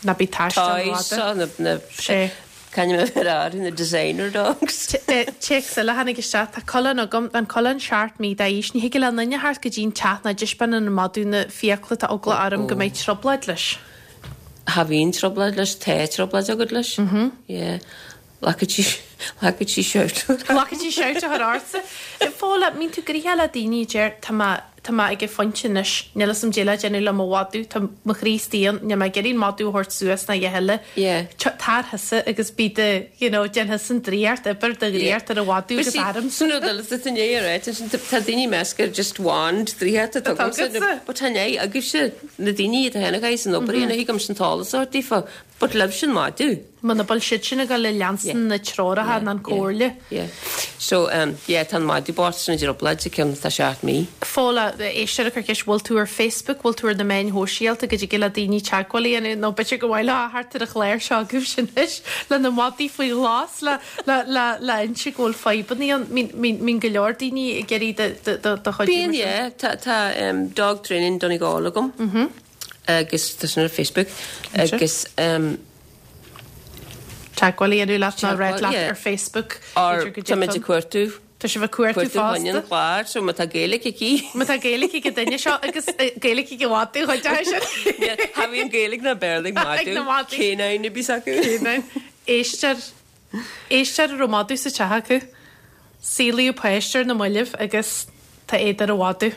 Ná bí taisteal toys rófhada. seo, na na Sé. Can you ar na designer dogs? Téacs eile tháinig isteach tá coileán agam an coileán seacht mí d'aois ní thig le duine theacht go dtí'n teach ná taispeánann an madadh na fiacla tá eagla orm go mbeidh trioblóid leis. Cha bhíonn trioblóid leis tá trioblóid agat leis. Yeah. Lacad sí lacad sí shout. Lacad sí shout a chur ortsa. Fóla mbíonn tú gnoitheach le daoine a deir tá mé tá mé ag an phointe anois níl fhios a'm caidé le déanamh le mo mhadadh tá mo chroí istigh ann níl mé ag iarraidh an madadh a thabhairt suas ná a dhath eile. Yeah. Tar thusa agus bí do you know déan thusa an draíocht obair do dhraíocht ar an mhadadh agus arm. Sin rud eile tá inné ar sin tá daoine measca just wand draíocht atá agamsa agatsa. But tá né agaibhse na daoine atá héna san obair na thigam sin tála sort daofa, but libh sin madadh. Muna bhfuil siad sin ag dul le leanstan na treoracha ná an comhairle. Yeah. So um, yeah, tá an madadh bocht san trioblóid a ceann tá seacht mí. Fóla éisteoir ag cur ceist bhfuil tú ar Facebook, bhfuil tú ar na meáin shóisialta go dtig le daoine teagmháil a dhéanamh nó b'fhéidir go bhfuil thart ar an chlár seo agaibh sin anois le na madaí faoi ghlas le le le le inse go bhfuil fadhbanna ann mbíonn go leor daoine ag iarraidh do do do chuidiú Bíonn mar sin. yeah, tá tá um, dog training Donegal agam. Mm -hmm. Agus tá sin ar Facebook agus um, Teagmháil a dhéanamh leat ná rá leat yeah. ar Facebook. Or b'fhéidir go tá muid dtig ag cuartú Tá sibh ag cuartú cuartú chuin an fosta. chlár, so má tá Gaeilge aici. Má tá Gaeilge ag duine seo agus eh, Gaeilge ag mhadadh chuid sin. Cha bhíonn Gaeilge ná Béarla Ag na madadh madaí. Canine a bhí acu. Éisteoir éisteoir a raibh madadh sa teach acu. Saolaíodh páiste ar na mallaibh agus tá éad ar an mhadadh.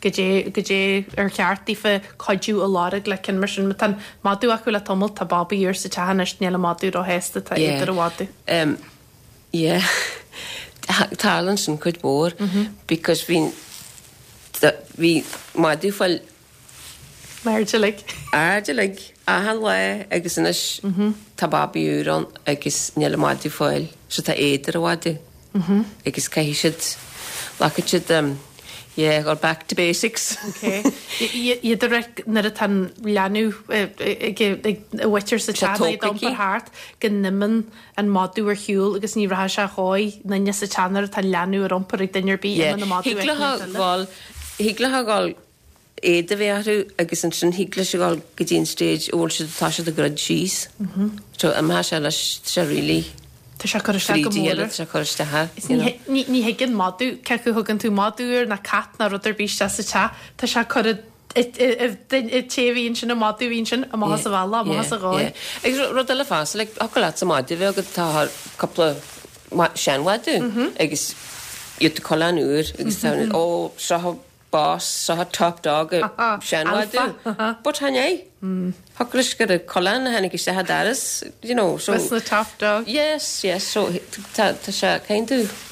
Go dté go dté ar cheart daofa cuidiú a lorg le cinn mar sin má tá madadh acu le tamall tá babaí úr sa teach anois níl an madadh róshásta tá éad ar an mhadadh. Um, yeah. Tarlaíonn sin cuid mhór because bhí bhí madadh fáil Airde like. airde like achan lá agus anois tá babaí úr ann agus níl an madadh fáil so tá éad ar an mhadadh. Agus caithfidh siad lacad siad um, yeah, go back to basics. Okay. Iad a nuair atá an leanbh ag mhuintir sa Sé teach tógtha iompar thart go n-imíonn an madadh ar shiúl agus ní rachaidh sé chóir duine sa teach nuair atá an leanbh ar iompar ag duine ar bith Yeah. imíonn an madadh Thig ag le an duine. ghabháil thig le ghabháil éad a bheith orthu agus ansin thig leis a ghabháil go dtí an stage a bhfuil siad tá siad ag druid síos. So imá sé leis sé really Tá sé cur isteach go fríd mór. sé cur isteach. Is ní ní- ní thuigeann madadh cé acu thugann tú madadh úr ná cat ná rud ar bith isteach sa teach tá sé cur té bhíonn sin an madadh bhíonn sin amach as a bhealach amach as a dhóigh. Agus rud eile fosta like thig leat sa madadh bheith agat tá cúpla seanmhadadh agus iad coileán úr agus tá ó seo boss seo top dog seanmhadadh. But chan é Thig leis gur coileán a tháinig isteach doras, you know, so Was na top dog. Yes, yes, so tá tá sé kind of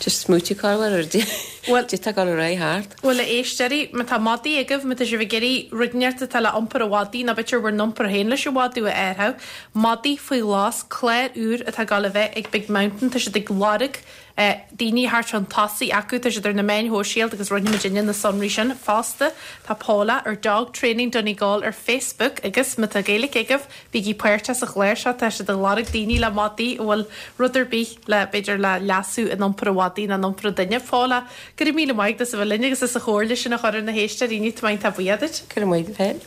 just smoothie carwer ar di Well- di tá go ré hard. Bhuel a éisteoirí má tá madaí agaibh má tá sibh ag iarraidh rud inteacht atá le iompar an mhadaidh nó b'fhéidir bhur n-iompar féin leis an mhadadh a athrú. Madaí faoi ghlas clár úr atá ag dul a bheith ag Big Mountain tá siad ag lorg eh, daoine thart chun tosaigh acu tá siad ar na meáin shóisialta agus roinnfidh muidinne na sonraí sin fosta. Tá Paula ar Dog Training Donegal ar Facebook agus má tá Gaeilge agaibh bígí páirteach sa chlár seo tá siad ag lorg daoine le madaí a bhfuil rud ar bith le b'fhéidir le leasú in iompar an mhadaidh ná in iompar an duine. Paula, go raibh míle maith agat as a bheith linn agus as an chomhairle sin a chur ar na héisteoirí tá maith tá buíoch. Go raibh maith féin.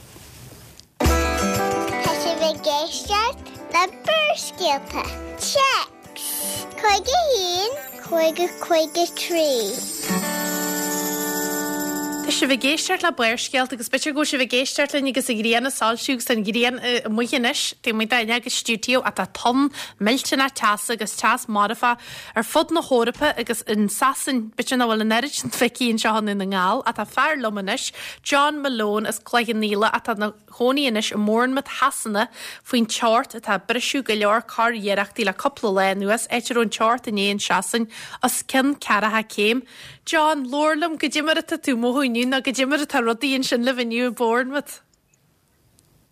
Tá sibh ag éisteacht le Barrscéalta. Téacs. Cúig a haon, cúig cúig a trí. Tá Tá sibh ag éisteacht le Barrscéalta agus b'fhéidir go bhfuil sibh ag éisteacht linn agus an ghrian ag soilsiú agus an ghrian amuigh anois taobh amuigh d'fhuinneog an stiúideo ach tá tonn millteanach teasa agus teas marfach ar fud na hEorpa agus in Sasain b'fhéidir nach bhfuil an oiread sin feicthe anseo i nDún na nGall ach tá fear liom anois John Malone as Cloich Cheann Fhaola atá ina chónaí anois i mBournemouth Shasana faoin teocht atá ag briseadh go leor curiarrachtaí le cúpla lá anuas áit a raibh an teocht inné in Sasain os cionn ceathracha céim. John, labhair liom goidé mar atá tú mothú inniu nó goidé mar atá rudaí ansin libh inniu i Bournemouth.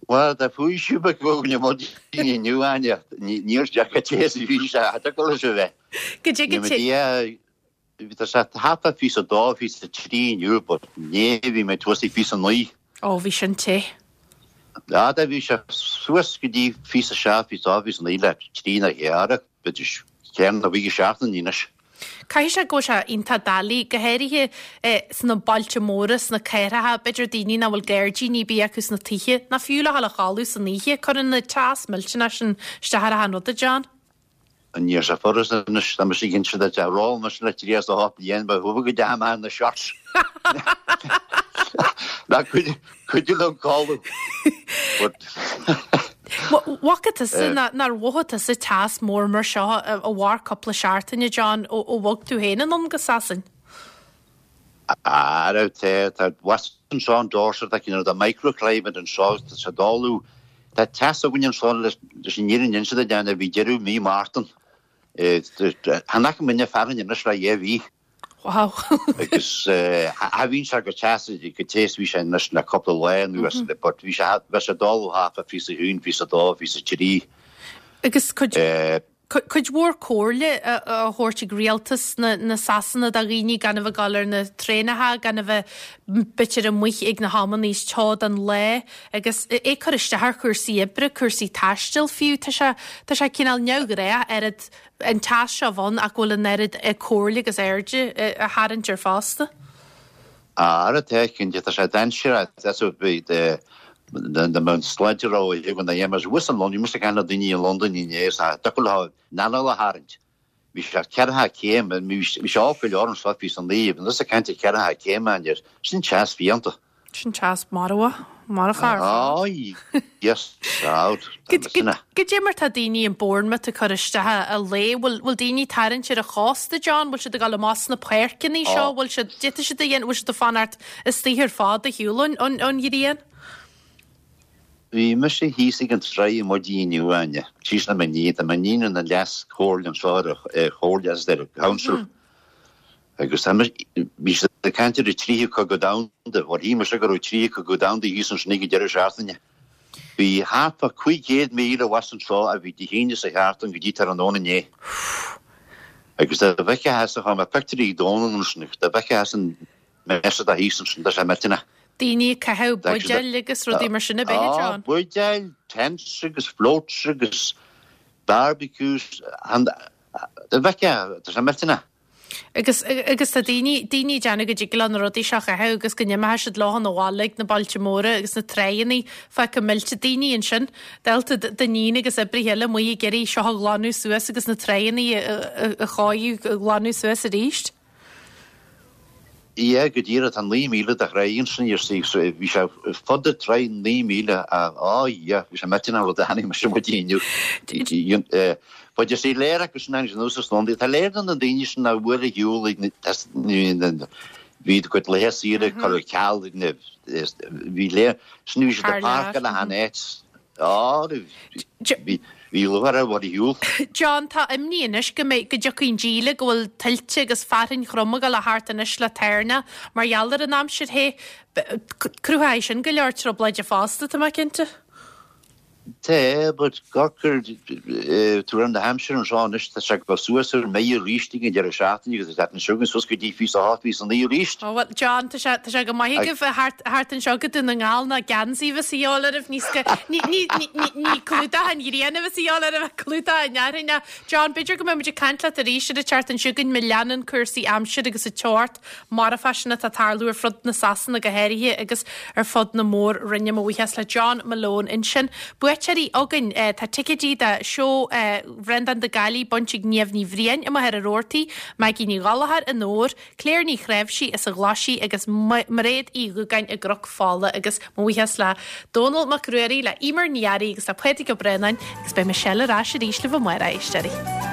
Well, tá faoiseamh beag againn maidin inniu Áine níor deacair te a bhí sé go leis a bheith. Goidé go te. Tá sé thart fá fiche a dó fiche a trí inniu, but inné bhí mé suas ag fiche a naoi. Ó bhí sin te. Ja, da bhí sé suas go dtí fiche a seacht fiche a fiche a naoi le trí na ghearra, ceann na bhí seachtain anois. Caithfidh sé go bhfuil sé iontach doiligh, go háirithe sna bailte móra, sna cathracha, b'fhéidir daoine nach bhfuil gairdíní ar bith acu sna tithe, ná fiú le dhul a chodladh san oíche. Cuireann an teas millteanach sin isteach ar achan rud, a John. Níl sé furasta anois, tá mise cinnte de tá ról mise le trí is a hocht bliain, ba thuba go dea man na shorts. Ná cuidiú liom codladh. But Bhfaca tusa nár mhothaigh tusa teas mór mar seo a mhair cúpla seachtaine, John, ó ó bhog tú féin anonn go Sasain? Ah, raibh te tá was anseo in Dorset tá cineál de microclimate anseo tá sé doiligh tá teas againn anseo leis an fhírinne a inse duit a bhí deireadh mí Mártan. Chan fhaca muidne fearthainn anois le dhá mhí. Wow. Agus cha bhíonn sé go teas go te is bhí sé anois le cúpla lá anuas but bhí sé bheadh sé doiligh thart fá fiche a haon, fiche a dó, fiche a trí. Agus cuid cuid mhór comhairle a thabhairt ag rialtas na na Sasana do dhaoine gan a bheith ag dul ar na traenacha, gan a bheith b'fhéidir amuigh ag na hamanna is teo den lá agus é cur isteach ar chúrsaí oibre, cúrsaí taistil fiú. Tá sé tá sé cineál neamhghnách oiread an teas seo bhun ach go bhfuil an oiread comhairle agus airde a tharraingt air fosta. Ara tá cinnte tá sé dainséarach that's what be the the mount sláinte ró ag an dhémas wis an London mus gan daoine i London inné sa deacair leo anáil a tharraingt. Bhí sé ceathracha céim bhí sé off go leor anseo fiche a naoi agus ag caint ceathracha céim an sin teas fiánta. Sin teas marfach marfach. Oh, yes, out. Goidé mar tá daoine in Bournemouth ag cur isteach a lae, bhfuil bhfuil daoine ag tarraingt ar an chósta, John, bhfuil siad ag dul amach sna páirceanna seo, bhfuil siad d'fhéadfadh siad a dhéanamh, bhfuil siad ag fanacht istigh ar fad ar shiúl ón ón ghrian? Bhí mise thíos ag an tráigh maidin inniu Áine, síos le m'iníon, tá m'iníon ina leas-chomhairle anseo ar chomhairle as ar council. Agus bhí siad ag caint ar an tríú cogadh domhanda, bhuel shíl mise go raibh tríú cogadh domhanda thíos ansin ag an deireadh seachtaine. Bhí thart fá cúig chéad míle abhus anseo a bhí Dé hAoine sa sheachtain go dtí tráthnóna inné. Agus dá bhfeicfeá thusa chomh maith pictiúirí Dónal ansin, dá bhfeicfeá thusa an mess atá thíos ansin, tá sé millteanach. Daoine ag caitheamh buidéil agus rudaí mar sin a bheith, John. Buidéil, tents agus floats agus barbecues, dá bhfeicfeá, tá sé millteanach. Agus agus tá daoine daoine ag déanamh go dtig leo na rudaí seo a chaitheamh agus go n-imeoidh siad leo 'na bhaile ag na bailte móra agus na tráigheanna fágtha millte daoine ansin. Dálta d'iníon agus oibrithe eile amuigh ag iarraidh seo a ghlanadh suas agus na tráigheanna a chóiriú a ghlanadh suas arís. Yeah, go díreach tá naoi míle de thráigh ansin you see, so bhí sé fud na tráigh naoi míle á yeah, bhí sé millteanach an rud a chonaic mise maidin inniu. But you see léir acu sin agus anuas is Londain, tá léir do na daoine sin nach bhfuil ar shiúl ag na bhí a gcuid laetha saoire curtha ar ceal ag na bhí léir sin bhí siad ag páirceáil achan áit. Á, bhí bhí lúcháir ar ar shiúl. John, tá imní anois go mbeidh go dtiocfaidh an díle go bhfuil tuilte agus fearthainn throm ag dul a theacht anois le tairne mar gheall ar an aimsir the. Cruthóidh sin go leor trioblóide fosta, tá mé cinnte. Tá, but gurgur tú an na haimsir anseo anois tá sé go suas ar méid arís ag an deireadh seachtaine agus tá an sugan suas go dtí fiche a hocht fiche a naoi arís. Ó well John, tá sé tá sé go maith agaibh thart thart anseo go Dún na nGall ná geansaí bheas a dhíobháil oraibh níos go ní ní ní ní ní clúdach an ghrian a bheas a dhíobháil oraibh ach clúdach an fhearthainn. John, b'fhéidir go mbeidh muid ag caint leat arís ar an tseachtain seo chugainn má leanann cúrsaí aimsire agus an teocht marfach sin atá ag tarlú ar fud na Sasana go háirithe agus ar fud na mór-roinne. Mo bhuíochas le John Malone ansin. Buaite buaiteoirí againn. Tá ticéidí do seó Bhreandán de Gaillí bainte ag Niamh Ní Bhriain i Machaire Rabhartaigh, Maggie Ní Ghallchóir i nDobhar, Claire Ní Chnáimhsí as an Ghlaisigh agus Mairéad Uí Dhúgáin i gCnoc Fola agus mo bhuíochas le Dónall Mac Ruairí, le Emer Ní Fhearraigh agus le Pádraig Ó Braonáin agus beidh Michelle ar ais arís libh amárach, a éisteoirí.